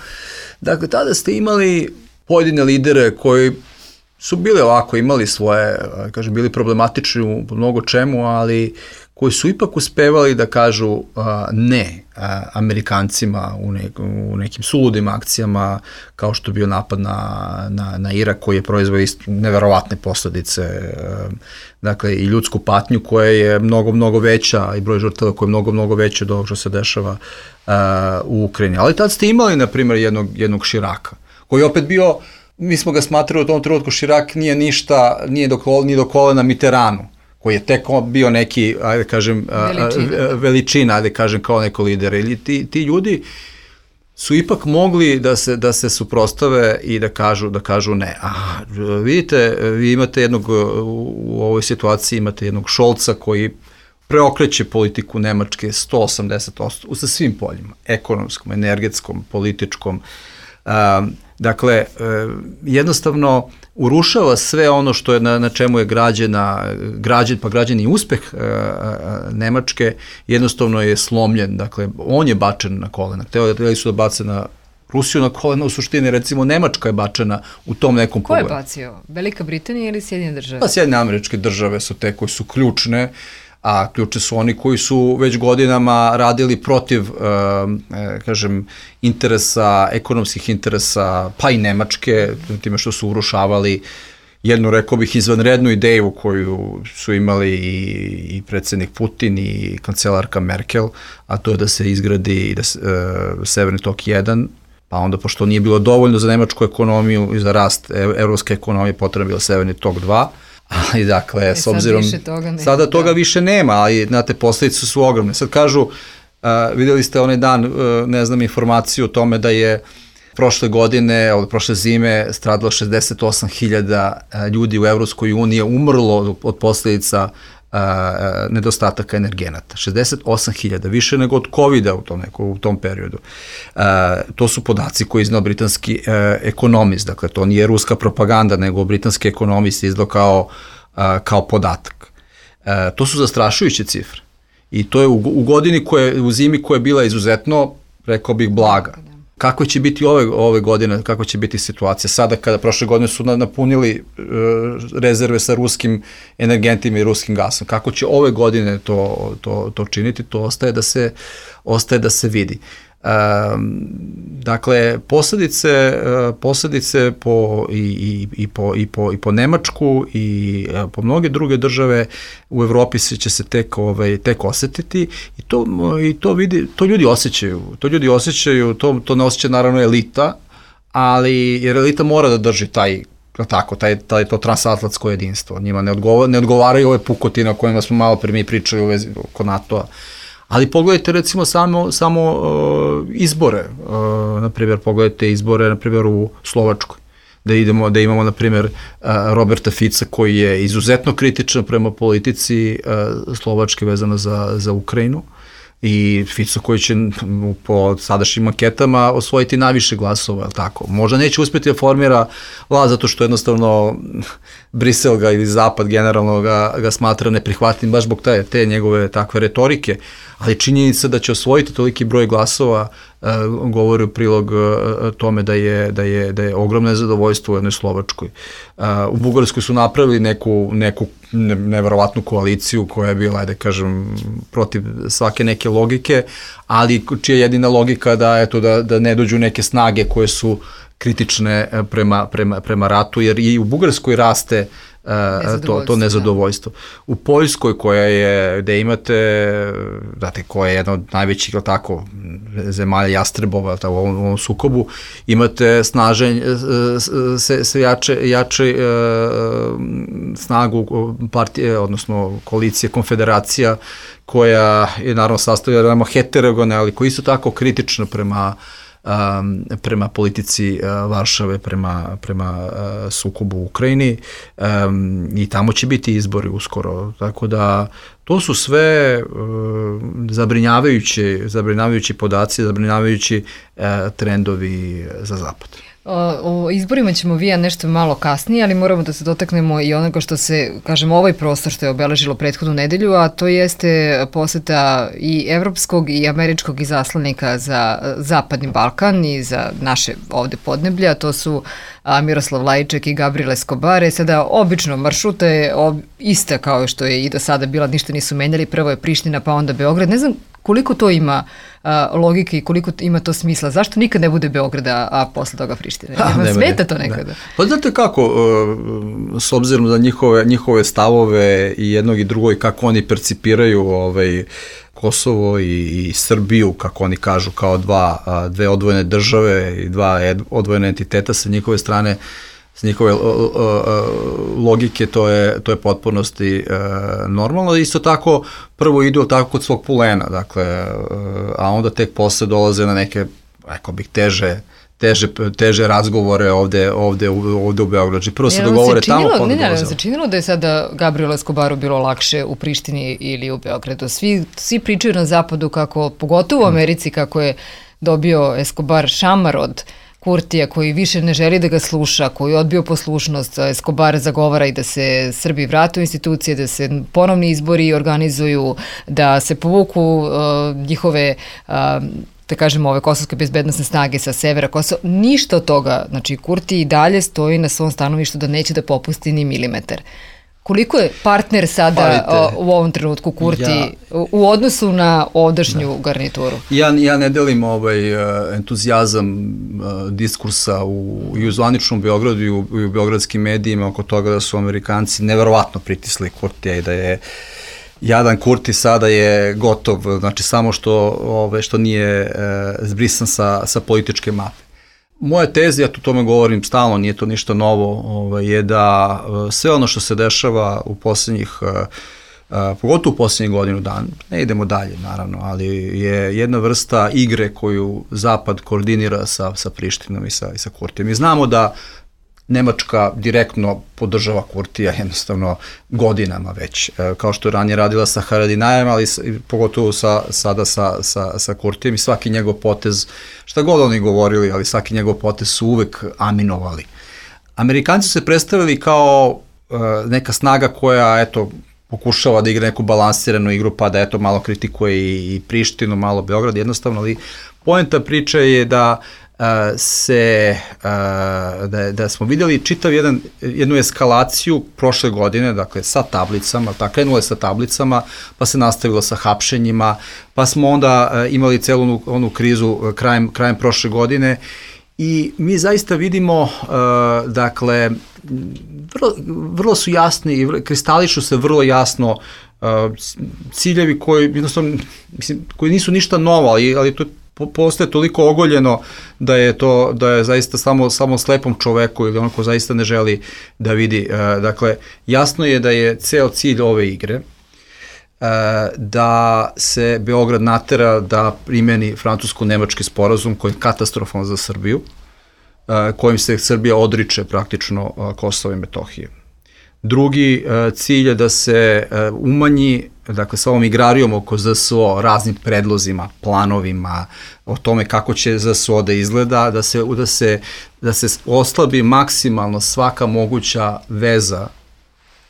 S4: Dakle, tada ste imali pojedine lidere koji su bili ovako, imali svoje, kažem, bili problematični u mnogo čemu, ali koji su ipak uspevali da kažu ne Amerikancima u nekim suludim akcijama, kao što je bio napad na Irak, koji je proizveo neverovatne posledice, dakle i ljudsku patnju koja je mnogo veća i broj žrtava koja je mnogo veća od ovog što se dešava u Ukrajini. Ali tad ste imali, na primjer, jednog Širaka, koji je opet bio, mi smo ga smatrali u tom trenutku, Širak nije ništa, nije ni do kolena Mitterrandu, koji je tek bio neki, ajde kažem, veličina, ajde kažem, kao neko lider. Ili ti ljudi su ipak mogli da se suprostave i da kažu ne. Vidite, vi imate u ovoj situaciji imate jednog Šolca koji preokreće politiku Nemačke 180% sa svim poljima, ekonomskom, energetskom, političkom. Dakle, jednostavno urušava sve ono što je na čemu je građen i uspeh Nemačke, jednostavno je slomljen. Dakle, on je bačen na kolena. Hteli su da bace na Rusiju na kolena, u suštini, recimo, Nemačka je bačena u tom nekom pogledu.
S2: Ko je bacio? Velika Britanija ili Sjedinjene države?
S4: Pa Sjedinjene Američke Države su te koji su ključne, a ključni su oni koji su već godinama radili protiv, kažem, interesa, ekonomskih interesa, pa i Nemačke, time što su urušavali jednu, rekao bih, izvanrednu ideju koju su imali i predsjednik Putin i kancelarka Merkel, a to je da se izgradi Severni tok 1, pa onda, pošto nije bilo dovoljno za nemačku ekonomiju i za rast evropske ekonomije, potrebno je bilo Severni tok 2, ali dakle, s obzirom, sada toga više nema, ali znate, posledice su ogromne. Sad kažu, vidjeli ste onaj dan, ne znam, informaciju o tome da je prošle zime stradalo 68.000 ljudi u Evropskoj uniji, umrlo od posledica nedostataka energenata. 68.000, više nego od COVID-a u tom periodu. To su podaci koje iznao britanski ekonomist, dakle to nije ruska propaganda, nego britanski ekonomist izdao kao podatak. To su zastrašujuće cifre. I to je u godini u zimi koja je bila izuzetno, rekao bih, blaga. Kako će biti ove godine, kako će biti situacija? Sada, kada prošle godine su napunili rezerve sa ruskim energentima i ruskim gasom, kako će ove godine to činiti, to ostaje da se vidi. Dakle, posljedice po Nemačku i po mnoge druge države u Evropi će se tek osetiti i to ljudi osjećaju, to ne osjeća naravno elita, ali jer elita mora da drži to transatlantsko jedinstvo. Njima ne odgovaraju ove pukotine o kojima smo malo pre mi pričali u vezi oko NATO-a. Ali pogledajte recimo samo izbore, na primjer pogledajte izbore na primjer u Slovačkoj, da imamo na primjer Roberta Fica koji je izuzetno kritičan prema politici Slovačke vezano za Ukrajinu i Fico koji će po sadašnjim anketama osvojiti najviše glasova, je li tako? Možda neće uspjeti da formira vlast zato što jednostavno Brisel ili Zapad generalno ga smatra neprihvatnim baš zbog te njegove takve retorike, ali činjenica da će osvojiti toliki broj glasova govori u prilog tome da je ogromno nezadovoljstvo u jednoj Slovačkoj. U Bugarskoj su napravili neku neverovatnu koaliciju koja je bila, da kažem, protiv svake neke logike, ali čija je jedina logika da ne dođu neke snage koje su kritične prema ratu, jer i u Bugarskoj raste to nezadovoljstvo. U Poljskoj gde imate, koja je jedna od najvećih zemalja jastrebova u ovom sukobu, imate jače snagu partije, odnosno koalicije, konfederacija, koja je naravno sastavljena heterogene, ali koja isto tako kritična prema politici Varšave, prema sukobu u Ukrajini i tamo će biti izbori uskoro, tako da to su sve zabrinjavajući podaci, zabrinjavajući trendovi za Zapad.
S2: O izborima ćemo vija nešto malo kasnije, ali moramo da se dotaknemo i onoga što se, kažem, ovaj prostor što je obeležilo prethodnu nedelju, a to jeste poseta i evropskog i američkog izaslanika za Zapadni Balkan i za naše ovde podneblja, to su Miroslav Lajček i Gabriel Escobar. Sada obično maršruta je ista kao što je i do sada bila, ništa nisu menjali, prvo je Priština pa onda Beograd. Ne znam koliko to ima logike i koliko ima to smisla. Zašto nikad ne bude Beograda, a posle toga Prištine? Smeta to nekada?
S4: Pa znate kako, s obzirom na njihove stavove i jednog i drugog i kako oni percipiraju Kosovo i Srbiju, kako oni kažu, kao dve odvojene države i dva odvojene entiteta sa njihove strane, s njihove logike, to je potpunosti normalno. Isto tako, prvo idu tako kod svog pulena, dakle, a onda tek posle dolaze na neke, rekao bih, teže razgovore ovde u Beogradu. Prvo se dogovore tamo, pa onda dolaze.
S2: Se činilo da je sada Gabrielu Escobaru bilo lakše u Prištini ili u Beogradu? Svi pričaju na zapadu kako, pogotovo u Americi, kako je dobio Escobar šamar od Kurtija, koji više ne želi da ga sluša, koji je odbio poslušnost. Escobar zagovara i da se Srbi vrate u institucije, da se ponovni izbori organizuju, da se povuku njihove da kažemo, ove kosovske bezbednosne snage sa severa Kosova. Ništa od toga. Znači, Kurti i dalje stoji na svom stanovištu da neće da popusti ni milimetar. Koliko je partner sada u ovom trenutku Kurti u odnosu na ovdašnju garnituru?
S4: Ja ne delim entuzijazam diskursa i u zvaničnom Beogradu i u beogradskim medijima oko toga da su Amerikanci neverovatno pritisli Kurtija i da je jadan Kurti sada je gotov, znači samo što nije zbrisan sa političke mape. Moja teza, ja tu tome govorim stalno, nije to ništa novo, je da sve ono što se dešava u posljednjih, pogotovo u posljednjih godinu dana, ne idemo dalje naravno, ali je jedna vrsta igre koju Zapad koordinira sa Prištinom i sa Kurtijem. Mi znamo da Nemačka direktno podržava Kurtija jednostavno godinama već, kao što je ranije radila sa Haradinajem, ali pogotovo sada sa Kurtijem, i svaki njegov potez, šta god oni govorili, ali svaki njegov potez su uvek aminovali. Amerikanci su se predstavili kao neka snaga koja, pokušava da igra neku balansiranu igru, pa da malo kritikuje i Prištinu, malo Beograd, jednostavno, ali poenta priče je da da smo vidjeli čitav jednu eskalaciju prošle godine, dakle sa tablicama, krenulo je sa tablicama, pa se nastavilo sa hapšenjima, pa smo onda imali celu onu krizu krajem prošle godine i mi zaista vidimo, dakle, vrlo su jasni i kristališu se vrlo jasno ciljevi koji jednostavno, koji nisu ništa novo, ali to postaje toliko ogoljeno da je zaista samo slepom čoveku ili onako zaista ne želi da vidi. Dakle, jasno je da je ceo cilj ove igre da se Beograd natera da primeni francusko-nemački sporazum koji je katastrofalan za Srbiju, kojim se Srbija odriče praktično Kosova i Metohije. Drugi cilj je da se umanji, dakle, sa ovom igrarijom oko ZSO, raznim predlozima, planovima, o tome kako će ZSO da izgleda, da se oslabi maksimalno svaka moguća veza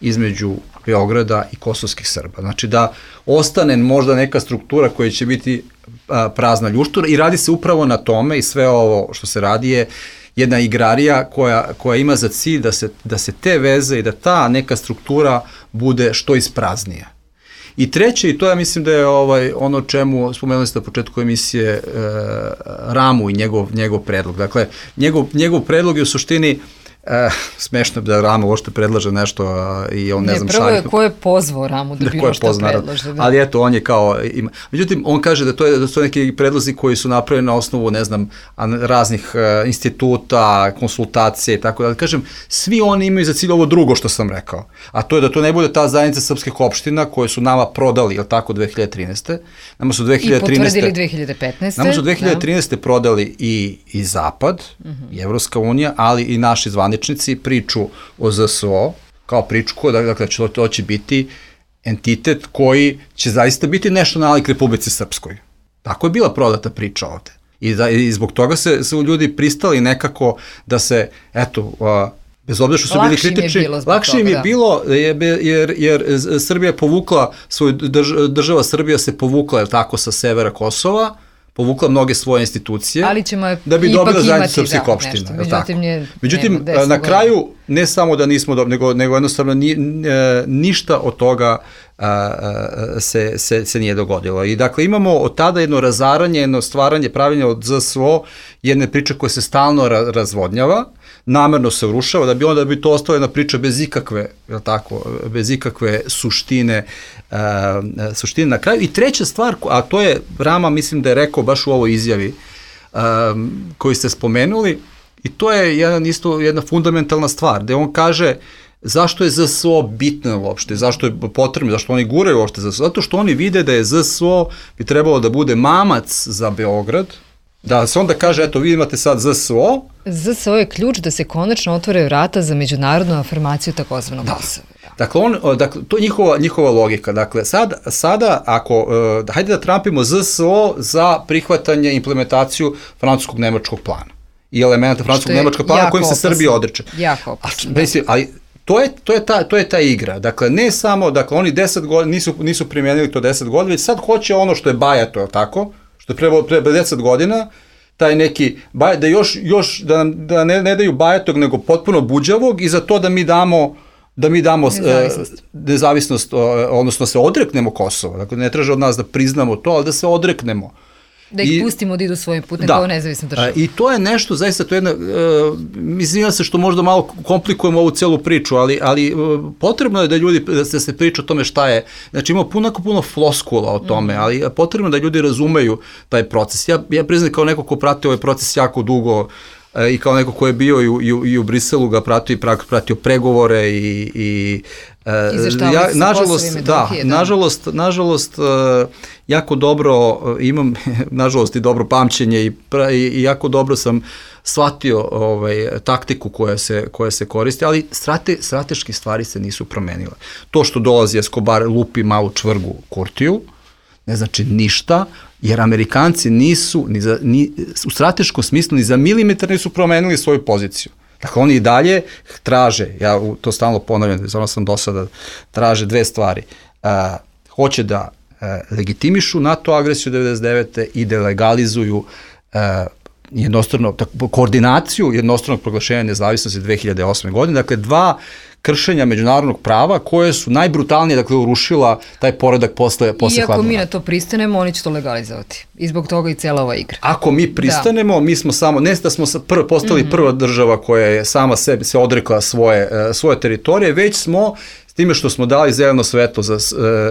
S4: između Beograda i kosovskih Srba. Znači da ostane možda neka struktura koja će biti prazna ljuštura i radi se upravo na tome i sve ovo što se radi je jedna igrarija koja ima za cilj da se te veze i da ta neka struktura bude što ispraznija. I treće, i to ja mislim da je ono čemu spomenuli ste na početku emisije, Ramu i njegov predlog. Dakle, njegov predlog je u suštini, smešno da Rama uopšte predlaže nešto i on ne znam
S2: prvo je ko je pozvao Ramu da bilo što predlaže.
S4: Ali eto, on je kao, međutim, on kaže da su neki predlozi koji su napravljeni na osnovu, ne znam, raznih instituta, konsultacije i tako da. Kažem, svi oni imaju za cilj ovo drugo što sam rekao, a to je da to ne bude ta zajednica srpskih opština koje su nama prodali, je li tako, 2013. Nama su 2013.
S2: I potvrdili 2015.
S4: Nama su 2013. prodali i Zapad, i Evropska unija, ali i naši zvaničnici priču o ZSO, kao priču dakle, to će biti entitet koji će zaista biti nešto nalik Republici Srpskoj. Tako je bila prodata priča ovde. I zbog toga su ljudi pristali nekako da se, eto, bez obzira što su bili kritični, lakše im je bilo, jer Srbija je povukla, država Srbija se povukla, jer tako, sa severa Kosova, povukla mnoge svoje institucije,
S2: ali ćemo
S4: da bi dobila zajednicu srpskih opština. Međutim, na kraju, ne samo da nismo dobili, nego jednostavno ništa od toga se nije dogodilo. I dakle, imamo od tada jedno razaranje, jedno stvaranje, pravljenje od ZSO, jedne priče koje se stalno razvodnjava, namerno se urušava, da bi to ostala jedna priča bez ikakve, bez ikakve suštine na kraju. I treća stvar, a to je Rama, mislim da je rekao baš u ovoj izjavi koju ste spomenuli, i to je jedna fundamentalna stvar, gde on kaže zašto je ZSO bitno uopšte, zašto je potrebno, zašto oni guraju uopšte ZSO, zato što oni vide da je ZSO bi trebalo da bude mamac za Beograd, da se onda kaže, eto, vi imate sad ZSO.
S2: ZSO je ključ da se konačno otvore vrata za međunarodnu afirmaciju takozvanog Kosova.
S4: Dakle, to je njihova logika. Dakle, sada ako, hajde da trampimo ZSO za prihvatanje, implementaciju francuskog-nemačkog plana i elementa francuskog-nemačkog plana kojim se Srbija odreče.
S2: Jako opasno.
S4: Ali to je ta igra. Dakle, ne samo, dakle, oni 10 godina, nisu primijenili to 10 godina, već sad hoće ono što je bajato, je tako? Što je pre 10 godina, taj neki, da ne daju bajatog, nego potpuno buđavog, i za to da mi damo nezavisnost, odnosno se odreknemo Kosova. Dakle, ne traže od nas da priznamo to, ali da se odreknemo.
S2: Da ih pustimo da idu svojim putem kao nezavisna država.
S4: I to je nešto, zaista, to je jedna, mislim se što možda malo komplikujemo ovu celu priču, ali potrebno je da ljudi, da se priča o tome šta je, znači ima puno floskula o tome, ali potrebno da ljudi razumeju taj proces. Ja priznam kao neko ko prati ovaj proces jako dugo, i kao neko ko je bio i u Briselu ga pratio pregovore i nažalost jako dobro imam, nažalost, i dobro pamćenje i jako dobro sam shvatio taktiku koja se koristi, ali strateški stvari se nisu promenile. To što dolazi Escobar, lupi malu čvrgu Kurtiju, ne znači ništa, jer Amerikanci nisu, u strateškom smislu, ni za milimetar nisu promenili svoju poziciju. Dakle, oni i dalje traže, ja to stalno ponavljam, ono sam do sada, traže dve stvari. Hoće da legitimišu NATO agresiju 1999. i da legalizuju koordinaciju jednostranog proglašenja nezavisnosti 2008. godine. Dakle, dva kršenja međunarodnog prava koje su najbrutalnije, dakle, urušila taj poredak posle hladnog rata.
S2: Iako mi na to pristanemo, oni će to legalizovati. I zbog toga i cela ova igra.
S4: Ako mi pristanemo, mi smo samo, ne da smo postali prva država koja je sama sebi se odrekla svoje teritorije, već smo s time što smo dali zeleno svetlo,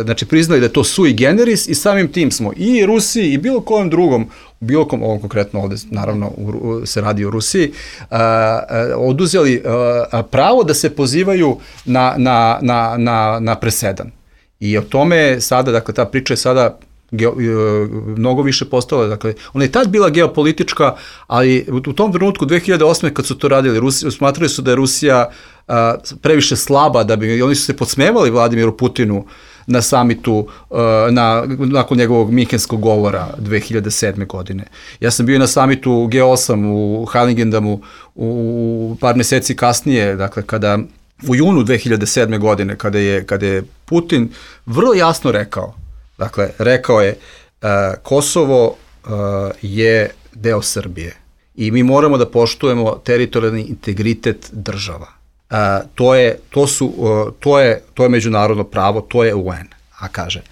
S4: znači priznali da je to sui generis, i samim tim smo i Rusiji i bilo kojem drugom, ovo konkretno ovde, naravno, se radi o Rusiji, oduzeli pravo da se pozivaju na presedan. I o tome sada, dakle, ta priča je sada mnogo više postala, dakle, ona je tad bila geopolitička, ali u tom trenutku 2008. kad su to radili, smatrali su da je Rusija previše slaba, oni su se podsmevali Vladimiru Putinu na samitu, nakon njegovog minhenskog govora 2007. godine. Ja sam bio na samitu G8 u Heiligendamu par meseci kasnije, dakle, u junu 2007. godine, kada je Putin vrlo jasno rekao je Kosovo je deo Srbije i mi moramo da poštujemo teritorijalni integritet država. To je međunarodno pravo, to je UN. A kaže,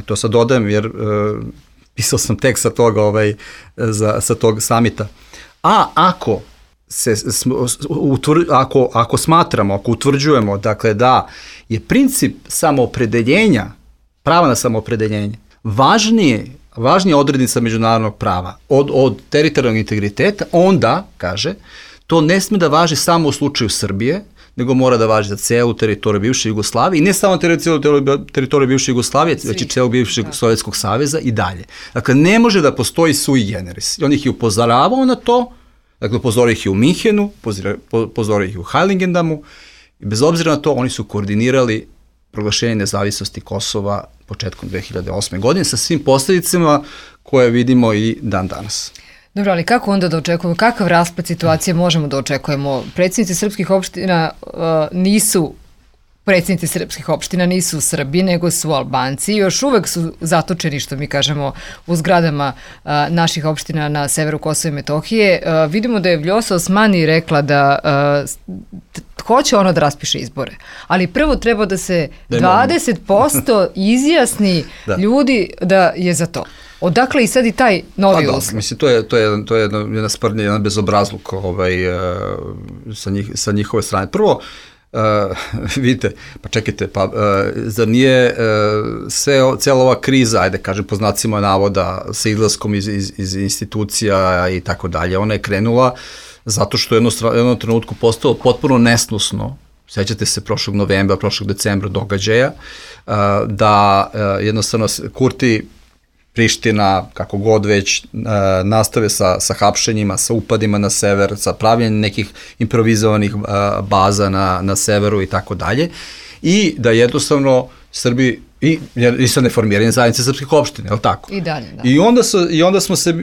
S4: to sad dodajem jer pisao sam tekst sa toga, sa tog samita, ako smatramo, ako utvrđujemo, dakle, da je princip samoopredeljenja, prava na samoopredeljenje, važnija odrednica međunarodnog prava od teritorijalnog integriteta, onda, kaže, to ne sme da važi samo u slučaju Srbije, nego mora da važi za celu teritoriju bivše Jugoslavije, i ne samo teritoriju bivše Jugoslavije, već i celog bivšeg Sovjetskog saveza i dalje. Dakle, ne može da postoji sui generis. I on ih je upozoravao na to, dakle, upozorio ih je u Minhenu, upozorio ih je u Heiligendamu, i bez obzira na to, oni su koordinirali proglašenje nezavisnosti Kosova početkom 2008. godine sa svim posljedicama koje vidimo i dan danas.
S2: Dobro, ali kako onda da očekujemo, kakav raspad situacije možemo da očekujemo? Predsjednici srpskih opština nisu Srbi, nego su Albanci. Još uvek su zatočeni, što mi kažemo, u zgradama naših opština na severu Kosova i Metohije. Vidimo da je Vljosa Osmani rekla da hoće ono da raspiše izbore. Ali prvo treba da se 20% izjasni ljudi da je za to. Odakle i sad i taj novi uslov?
S4: Mislim, to je jedna sprdnja, jedan bezobrazluk sa njihove strane. Prvo, vidite, pa čekajte, zar nije cijela ova kriza, ajde kažem po znacima navoda, sa izlaskom iz institucija i tako dalje, ona je krenula zato što je jednom trenutku postalo potpuno nesnosno, sećate se prošlog novembra, prošlog decembra događaja, da jednostavno Kurti, Priština, kako god već, nastave sa hapšenjima, sa upadima na sever, sa pravljenjem nekih improvizovanih baza na severu i tako dalje, i da jednostavno Srbi, i sa neformiranjem zajednice srpskih opština, je li tako?
S2: I dalje, da.
S4: I onda smo se,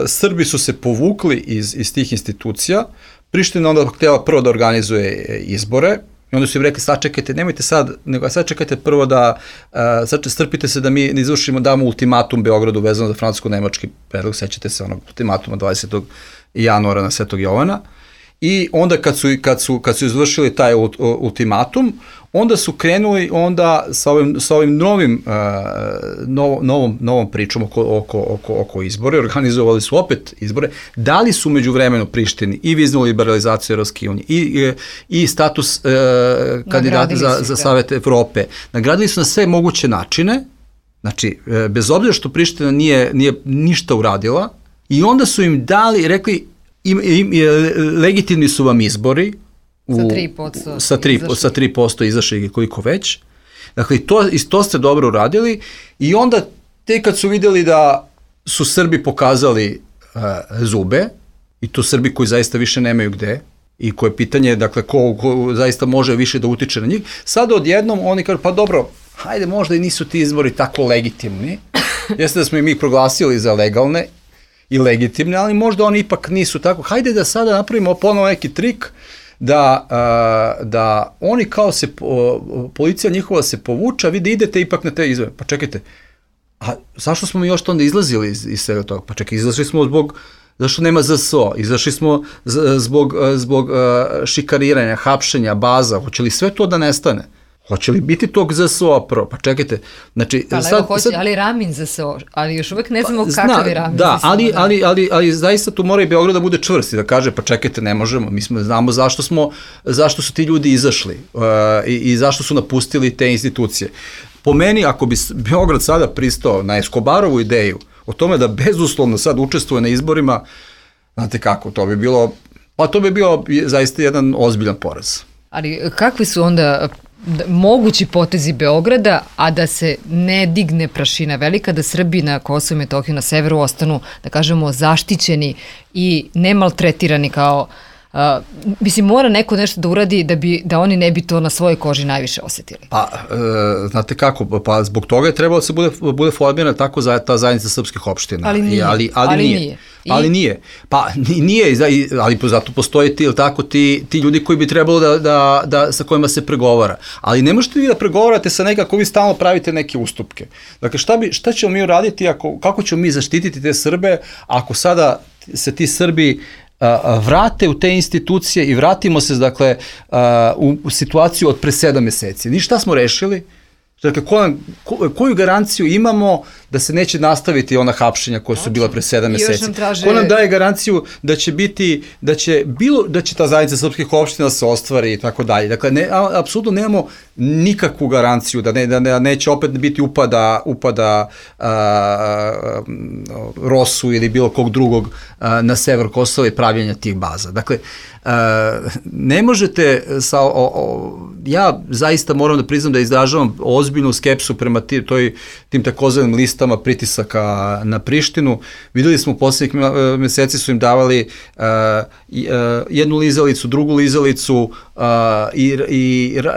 S4: Srbi su se povukli iz tih institucija, Priština onda htjela prvo da organizuje izbore, i onda su im rekli, sad čekajte, nemojte sad, nego sad čekajte prvo da, sad strpite se da mi ne izvršimo, damo ultimatum Beogradu vezano za francusko-nemački predlog, sećate se onog ultimatuma 20. januara na Svetog Jovana, i onda kad su izvršili taj ultimatum, onda su krenuli onda sa ovim novom pričom oko izbore, organizovali su opet izbore, dali su međuvremeno Prištini i viznu liberalizaciju Evropske unije i status kandidata za Savet Evrope. Nagradili su na sve moguće načine, znači bez obzira što Priština nije ništa uradila, i onda su im dali, rekli, legitimni su vam izbori, sa 3% izašli koliko već. Dakle, to ste dobro uradili, i onda te kad su vidjeli da su Srbi pokazali zube, i to Srbi koji zaista više nemaju gde, i koje pitanje, dakle, ko zaista može više da utiče na njih, sad odjednom oni kažu, pa dobro, hajde, možda i nisu ti izbori tako legitimni, jeste da smo im ih proglasili za legalne i legitimne, ali možda oni ipak nisu tako, hajde da sada napravimo ponovo neki trik, da oni kao se, policija njihova se povuča, vi da idete ipak na te izbore. Pa čekajte, a zašto smo mi još to onda izlazili iz svega toga? Pa čekaj, izašli smo zašto nema ZSO, izašli smo zbog šikarriranja, hapšenja, baza, hoće li sve to da nestane? Hoće li biti tog ZSO-a prvo? Pa čekajte, znači...
S2: Ali Ramin ZSO, ali još uvek ne znamo kakav je Ramin ZSO.
S4: Da, ali zaista tu mora i Beograd da bude čvrst i da kaže, pa čekajte, ne možemo, mi znamo zašto su ti ljudi izašli i zašto su napustili te institucije. Po meni, ako bi Beograd sada pristao na Escobarovu ideju o tome da bezuslovno sad učestvuje na izborima, znate kako, to bi bio zaista jedan ozbiljan poraz.
S2: Ali kakvi su onda mogući potezi Beograda, a da se ne digne prašina velika, da Srbi na Kosovu i Metohiji na severu ostanu, da kažemo, zaštićeni i ne maltretirani kao... mislim, mora neko nešto da uradi da oni ne bi to na svojoj koži najviše osetili.
S4: Pa, znate kako, pa zbog toga je trebalo da se bude formirana tako ta zajednica srpskih opština.
S2: Ali nije.
S4: Ali nije. Pa nije, ali zato postoje ti ljudi koji bi trebalo sa kojima se pregovara. Ali ne možete vi da pregovarate sa nekako, vi stalno pravite neke ustupke. Dakle, šta ćemo mi uraditi, kako ćemo mi zaštititi te Srbe ako sada se ti Srbi vrate u te institucije i vratimo se, dakle, u situaciju od pre 7 meseci. Ni šta smo rešili? Dakle, koju garanciju imamo da se neće nastaviti ona hapšenja koja su bila pre 7 meseci? Ko nam daje garanciju da će ta zajednica srpskih opština se ostvari i tako dalje? Dakle, apsolutno nemamo nikakvu garanciju da neće opet biti upada Rosu ili bilo kog drugog na sever Kosova i pravljenja tih baza. Dakle, ne možete ja zaista moram da priznam da izražavam ozbiljnu skepsu prema tim takozvanim listama pritisaka na Prištinu. Videli smo u poslednjih meseci su im davali jednu lizalicu, drugu lizalicu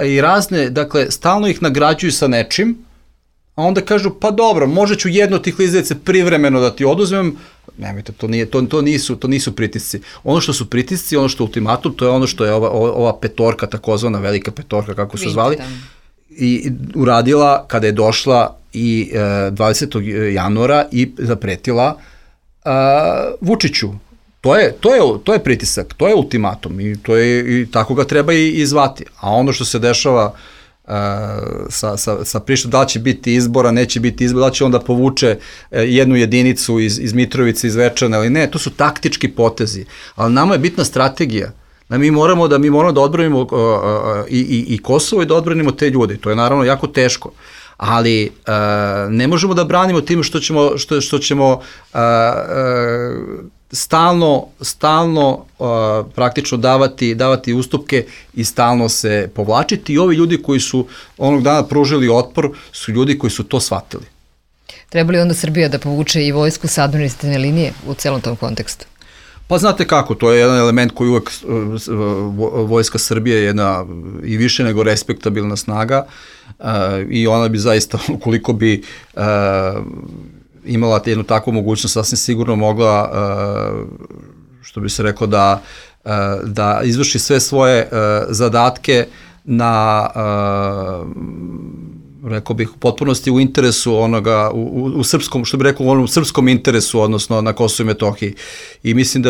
S4: i razne, dakle, stalno ih nagrađuju sa nečim, a onda kažu, pa dobro, možda ću jednu od tih lizalice privremeno da ti oduzmem. Nemojte, to nisu pritisci. Ono što su pritisci, ono što je ultimatum, to je ono što je ova petorka, takozvana velika petorka, kako su zvali, i uradila kada je došla i 20. januara i zapretila Vučiću. To je pritisak, to je ultimatum i tako ga treba i zvati. A ono što se dešava sa Prištinom, da li će biti izbora, neće biti izbora, da li će onda povuče jednu jedinicu iz Mitrovice, iz Zvečana ili ne, to su taktički potezi, ali nama je bitna strategija. Mi moramo da odbranimo i Kosovo i da odbranimo te ljude, to je naravno jako teško, ali ne možemo da branimo tim što ćemo stalno praktično davati ustupke i stalno se povlačiti, i ovi ljudi koji su onog dana pružili otpor su ljudi koji su to shvatili.
S2: Treba li onda Srbija da povuče i vojsku sa administrativne linije u celom tom kontekstu?
S4: Pa znate kako, to je jedan element koji uvek Vojska Srbije je jedna i više nego respektabilna snaga i ona bi zaista, ukoliko bi imala jednu takvu mogućnost, sasvim sigurno mogla, što bi se reklo, da izvrši sve svoje zadatke na, rekao bih, u potpunosti u interesu onoga, u srpskom, što bi rekao, u onom srpskom interesu, odnosno na Kosovu i Metohiji. I mislim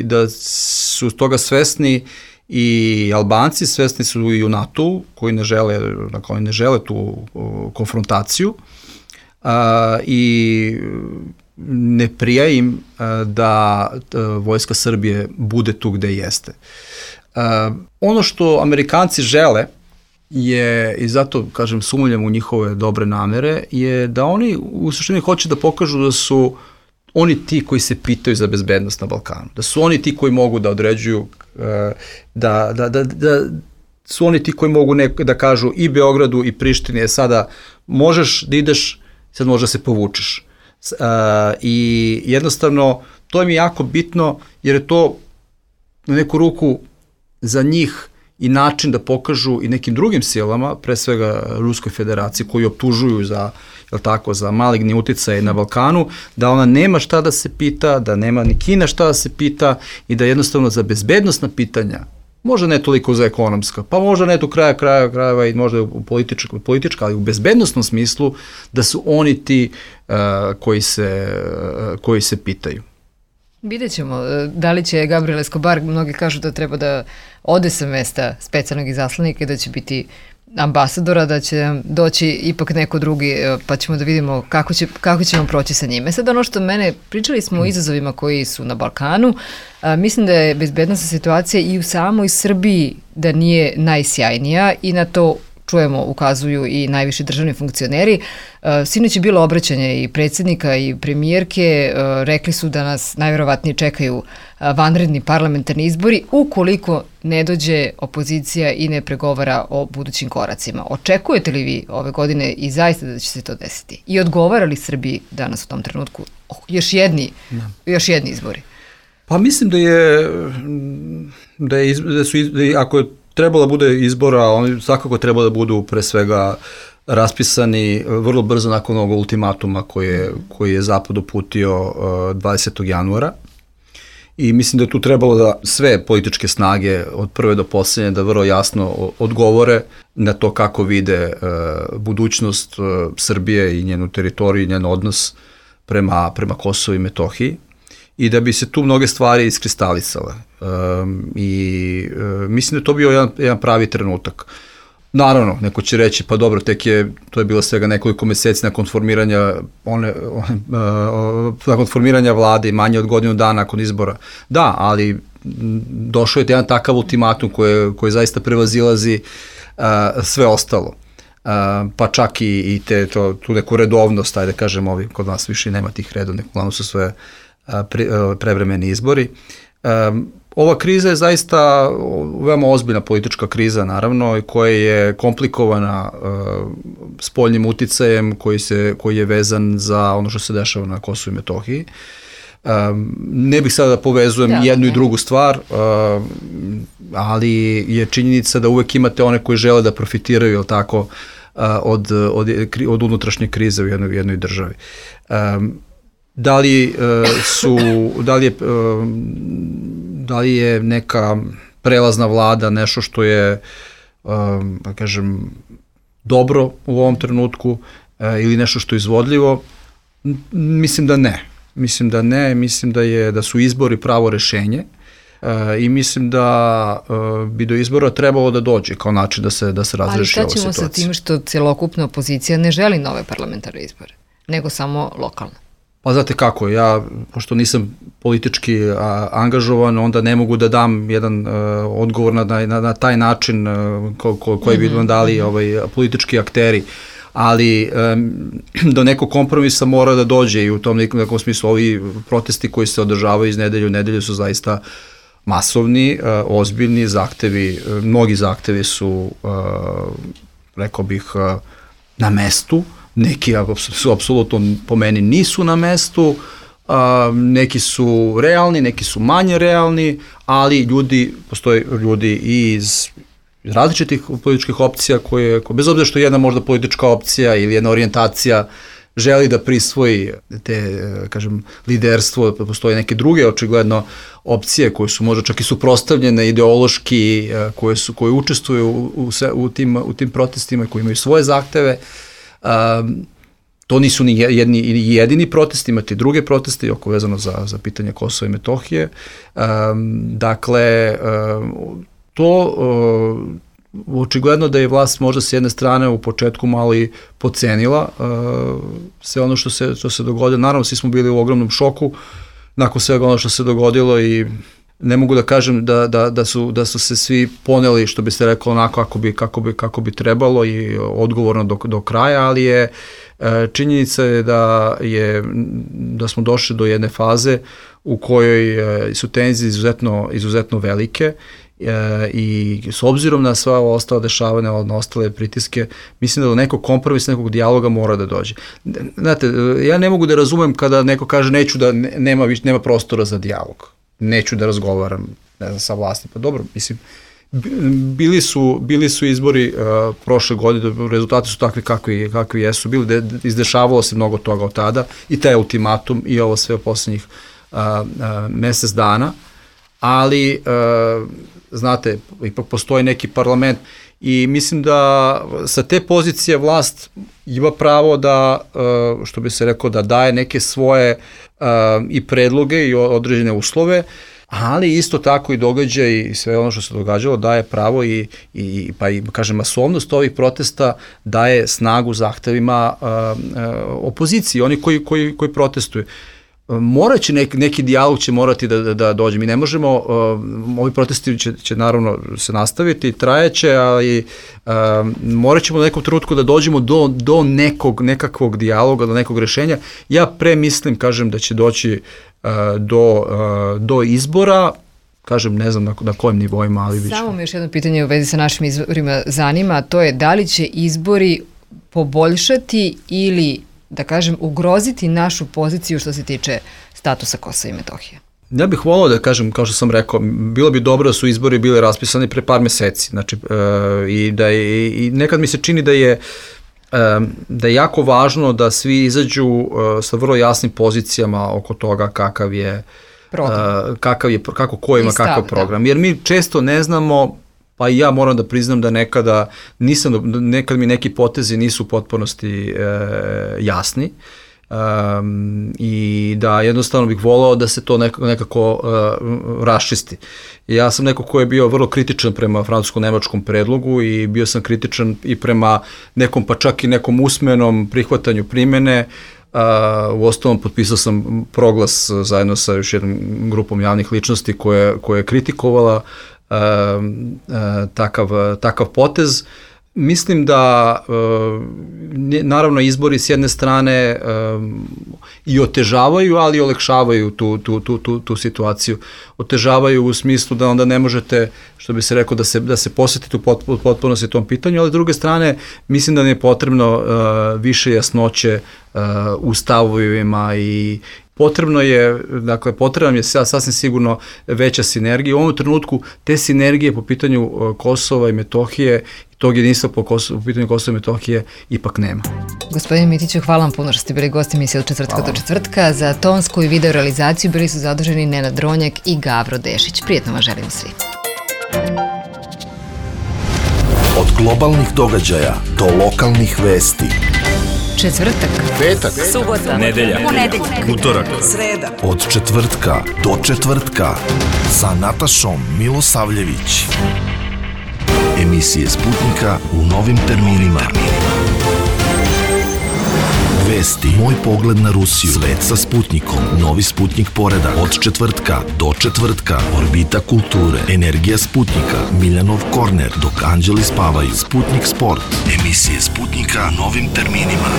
S4: da su toga svesni i Albanci, svesni su i u NATO-u, koji ne žele tu konfrontaciju, i ne prija im da Vojska Srbije bude tu gde jeste. Ono što Amerikanci žele je, i zato kažem sumnjam u njihove dobre namere, je da oni u suštini hoće da pokažu da su oni ti koji se pitaju za bezbednost na Balkanu, da su oni ti koji mogu da određuju, da su oni ti koji mogu da kažu i Beogradu i Prištini, sada možeš da ideš, sad možda se povučeš. I jednostavno, to mi je jako bitno, jer je to na neku ruku za njih i način da pokažu i nekim drugim silama, pre svega Ruskoj federaciji, koji optužuju za maligni uticaj na Balkanu, da ona nema šta da se pita, da nema ni Kina šta da se pita i da jednostavno za bezbednosna pitanja, možda ne toliko za ekonomska, pa možda ne tu krajeva i možda u politička, ali u bezbednostnom smislu da su oni ti koji se pitaju.
S2: Vidjet ćemo da li će Gabriel Escobar, mnogi kažu da treba da ode sa mesta specijalnog izaslanika i da će biti ambasadora, da će doći ipak neko drugi, pa ćemo da vidimo kako ćemo proći sa njime. Sad ono što pričali smo o izazovima koji su na Balkanu, mislim da je bezbednosna situacija i u samoj Srbiji da nije najsjajnija i na to čujemo, ukazuju i najviši državni funkcioneri. Sinoć je bilo obraćanje i predsjednika i premijerke, rekli su da nas najverovatnije čekaju vanredni parlamentarni izbori ukoliko ne dođe opozicija i ne pregovara o budućim koracima. Očekujete li vi ove godine i zaista da će se to desiti? I odgovara li Srbiji danas u tom trenutku još jedni izbori?
S4: Pa mislim ako je trebalo da bude izbora, oni svakako treba da budu pre svega raspisani vrlo brzo nakon ovog ultimatuma koji je Zapad uputio 20. januara. I mislim da je tu trebalo da sve političke snage od prve do poslednje da vrlo jasno odgovore na to kako vide budućnost Srbije i njenu teritoriju i njen odnos prema Kosovu i Metohiji. I da bi se tu mnoge stvari iskristalisale. I mislim da je to bio jedan pravi trenutak. Naravno, neko će reći, pa dobro, to je bilo svega nekoliko meseci nakon formiranja vlade i manje od godinu dana nakon izbora. Da, ali došao je jedan takav ultimatum koji zaista prevazilazi sve ostalo. Pa čak i tu neku redovnost, ajde kažem, kod nas više nema tih redovnih, uglavnom su sve prevremeni izbori. ova kriza je zaista veoma ozbiljna politička kriza, naravno, koja je komplikovana spoljnim uticajem koji je vezan za ono što se dešava na Kosovu i Metohiji. Ne bih sada da povezujem jednu i drugu stvar, ali je činjenica da uvek imate one koji žele da profitiraju, jel tako, od unutrašnje krize u jednoj državi. Da li je neka prelazna vlada nešto što je, da kažem, dobro u ovom trenutku ili nešto što je izvodljivo? Mislim da ne. Mislim da su izbori pravo rešenje i mislim da bi do izbora trebalo da dođe kao način da se razreši ova situacija.
S2: Ali šta ćemo sa tim što celokupna opozicija ne želi nove parlamentarne izbore, nego samo lokalne?
S4: Pa znate kako, ja, pošto nisam politički angažovan, onda ne mogu da dam jedan odgovor na taj način koji bi vam dali politički akteri, ali do nekog kompromisa mora da dođe i u tom nekom smislu ovi protesti koji se održavaju iz nedelje u nedelju su zaista masovni, ozbiljni zahtevi, mnogi zahtevi su, rekao bih, na mestu, neki su apsolutno po meni nisu na mestu, neki su realni, neki su manje realni, ali postoje ljudi i iz različitih političkih opcija koje, bez obzira što jedna možda politička opcija ili jedna orijentacija želi da prisvoji te, kažem, liderstvo, postoje neke druge očigledno opcije koje su možda čak i suprotstavljene ideološki, koje učestvuju u tim protestima, koji imaju svoje zahteve. To nisu ni jedini protesti, imate i druge proteste oko vezano za pitanje Kosova i Metohije. Dakle, to očigledno da je vlast možda s jedne strane u početku malo i podcenila sve ono što se dogodilo. Naravno, svi smo bili u ogromnom šoku nakon svega ono što se dogodilo i ne mogu da kažem da su se svi poneli, što bi se rekao, onako kako bi trebalo i odgovorno do kraja, ali je činjenica je da smo došli do jedne faze u kojoj su tenzije izuzetno velike i s obzirom na sva ova ostala dešavanja, na ostale pritiske, mislim da do nekog kompromisa, nekog dijaloga mora da dođe. Znate, ja ne mogu da razumem kada neko kaže neću da nema prostora za dijalog, neću da razgovaram, ne znam, sa vlasti. Pa dobro, mislim, bili su izbori prošle godine, rezultati su takvi kakvi jesu bili, izdešavalo se mnogo toga od tada i taj ultimatum i ovo sve u poslednjih mesec dana, ali znate, ipak postoji neki parlament i mislim da sa te pozicije vlast ima pravo da, što bi se rekao, da daje neke svoje i predloge i određene uslove, ali isto tako i događaj i sve ono što se događalo daje pravo pa i kažem, masovnost ovih protesta daje snagu zahtevima opoziciji, oni koji protestuju. Moraće neki dijalog će morati da dođe. Mi ne možemo, ovi protesti će naravno se nastaviti, trajeće, ali morat ćemo u nekom trenutku da dođemo do nekakvog dijaloga, do nekog rešenja. Ja mislim, kažem, da će doći do izbora, kažem, ne znam na kojim nivoima, ali biće.
S2: Samo mi još jedno pitanje u vezi sa našim izborima zanima, a to je da li će izbori poboljšati ili, da kažem, ugroziti našu poziciju što se tiče statusa Kosova i Metohije?
S4: Ja bih volao da kažem, kao što sam rekao, bilo bi dobro da su izbori bili raspisani pre par meseci, znači, i nekad mi se čini da je jako važno da svi izađu sa vrlo jasnim pozicijama oko toga kakav je kako ko ima kakav program. Jer mi često ne znamo, pa i ja moram da priznam da nekad mi neki potezi nisu u potpunosti jasni i da jednostavno bih volao da se to nekako raščisti. Ja sam neko ko je bio vrlo kritičan prema francusko-nemačkom predlogu i bio sam kritičan i prema nekom, pa čak i nekom usmenom prihvatanju primene. U ostalom potpisao sam proglas zajedno sa još jednom grupom javnih ličnosti koja je kritikovala takav potez Mislim da naravno izbori s jedne strane i otežavaju, ali i olakšavaju tu situaciju. Otežavaju u smislu da onda ne možete, što bi se rekao, da se posvetite u potpunosti tom pitanju, ali s druge strane mislim da nam je potrebno više jasnoće u stavovima i potrebna nam je sasvim sigurno veća sinergija. U ovom trenutku te sinergije po pitanju Kosova i Metohije i tog jedinstva po pitanju Kosova i Metohije ipak nema.
S2: Gospodine Mitiću, hvala vam puno što ste bili gosti emisije Od četvrtka do četvrtka. Za tonsku i video realizaciju bili su zaduženi Nenad Dronjak i Gavro Dešić. Prijetno vam želim svi.
S1: Od globalnih događaja do lokalnih vesti.
S2: Četvrtak,
S1: Petak,
S3: subota, nedelja, utorak,
S1: sreda. Od četvrtka do četvrtka sa Natašom Milosavljević. Emisije Sputnika u novim terminima. Vesti, moj pogled na Rusiju, svet sa Sputnikom, novi Sputnik poredak, od četvrtka do četvrtka, orbita kulture, energija Sputnika, Miljanov korner, dok anđeli spavaju, Sputnik sport, emisije Sputnika novim terminima.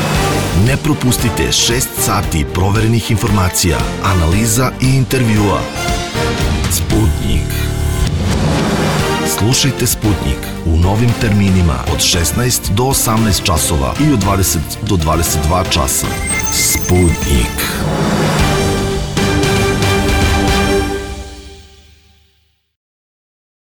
S1: Ne propustite 6 sati proverenih informacija, analiza i intervjua. Sputnik. Slušajte Sputnik u novim terminima od 16 do 18 časova i od 20 do 22 časa. Sputnik.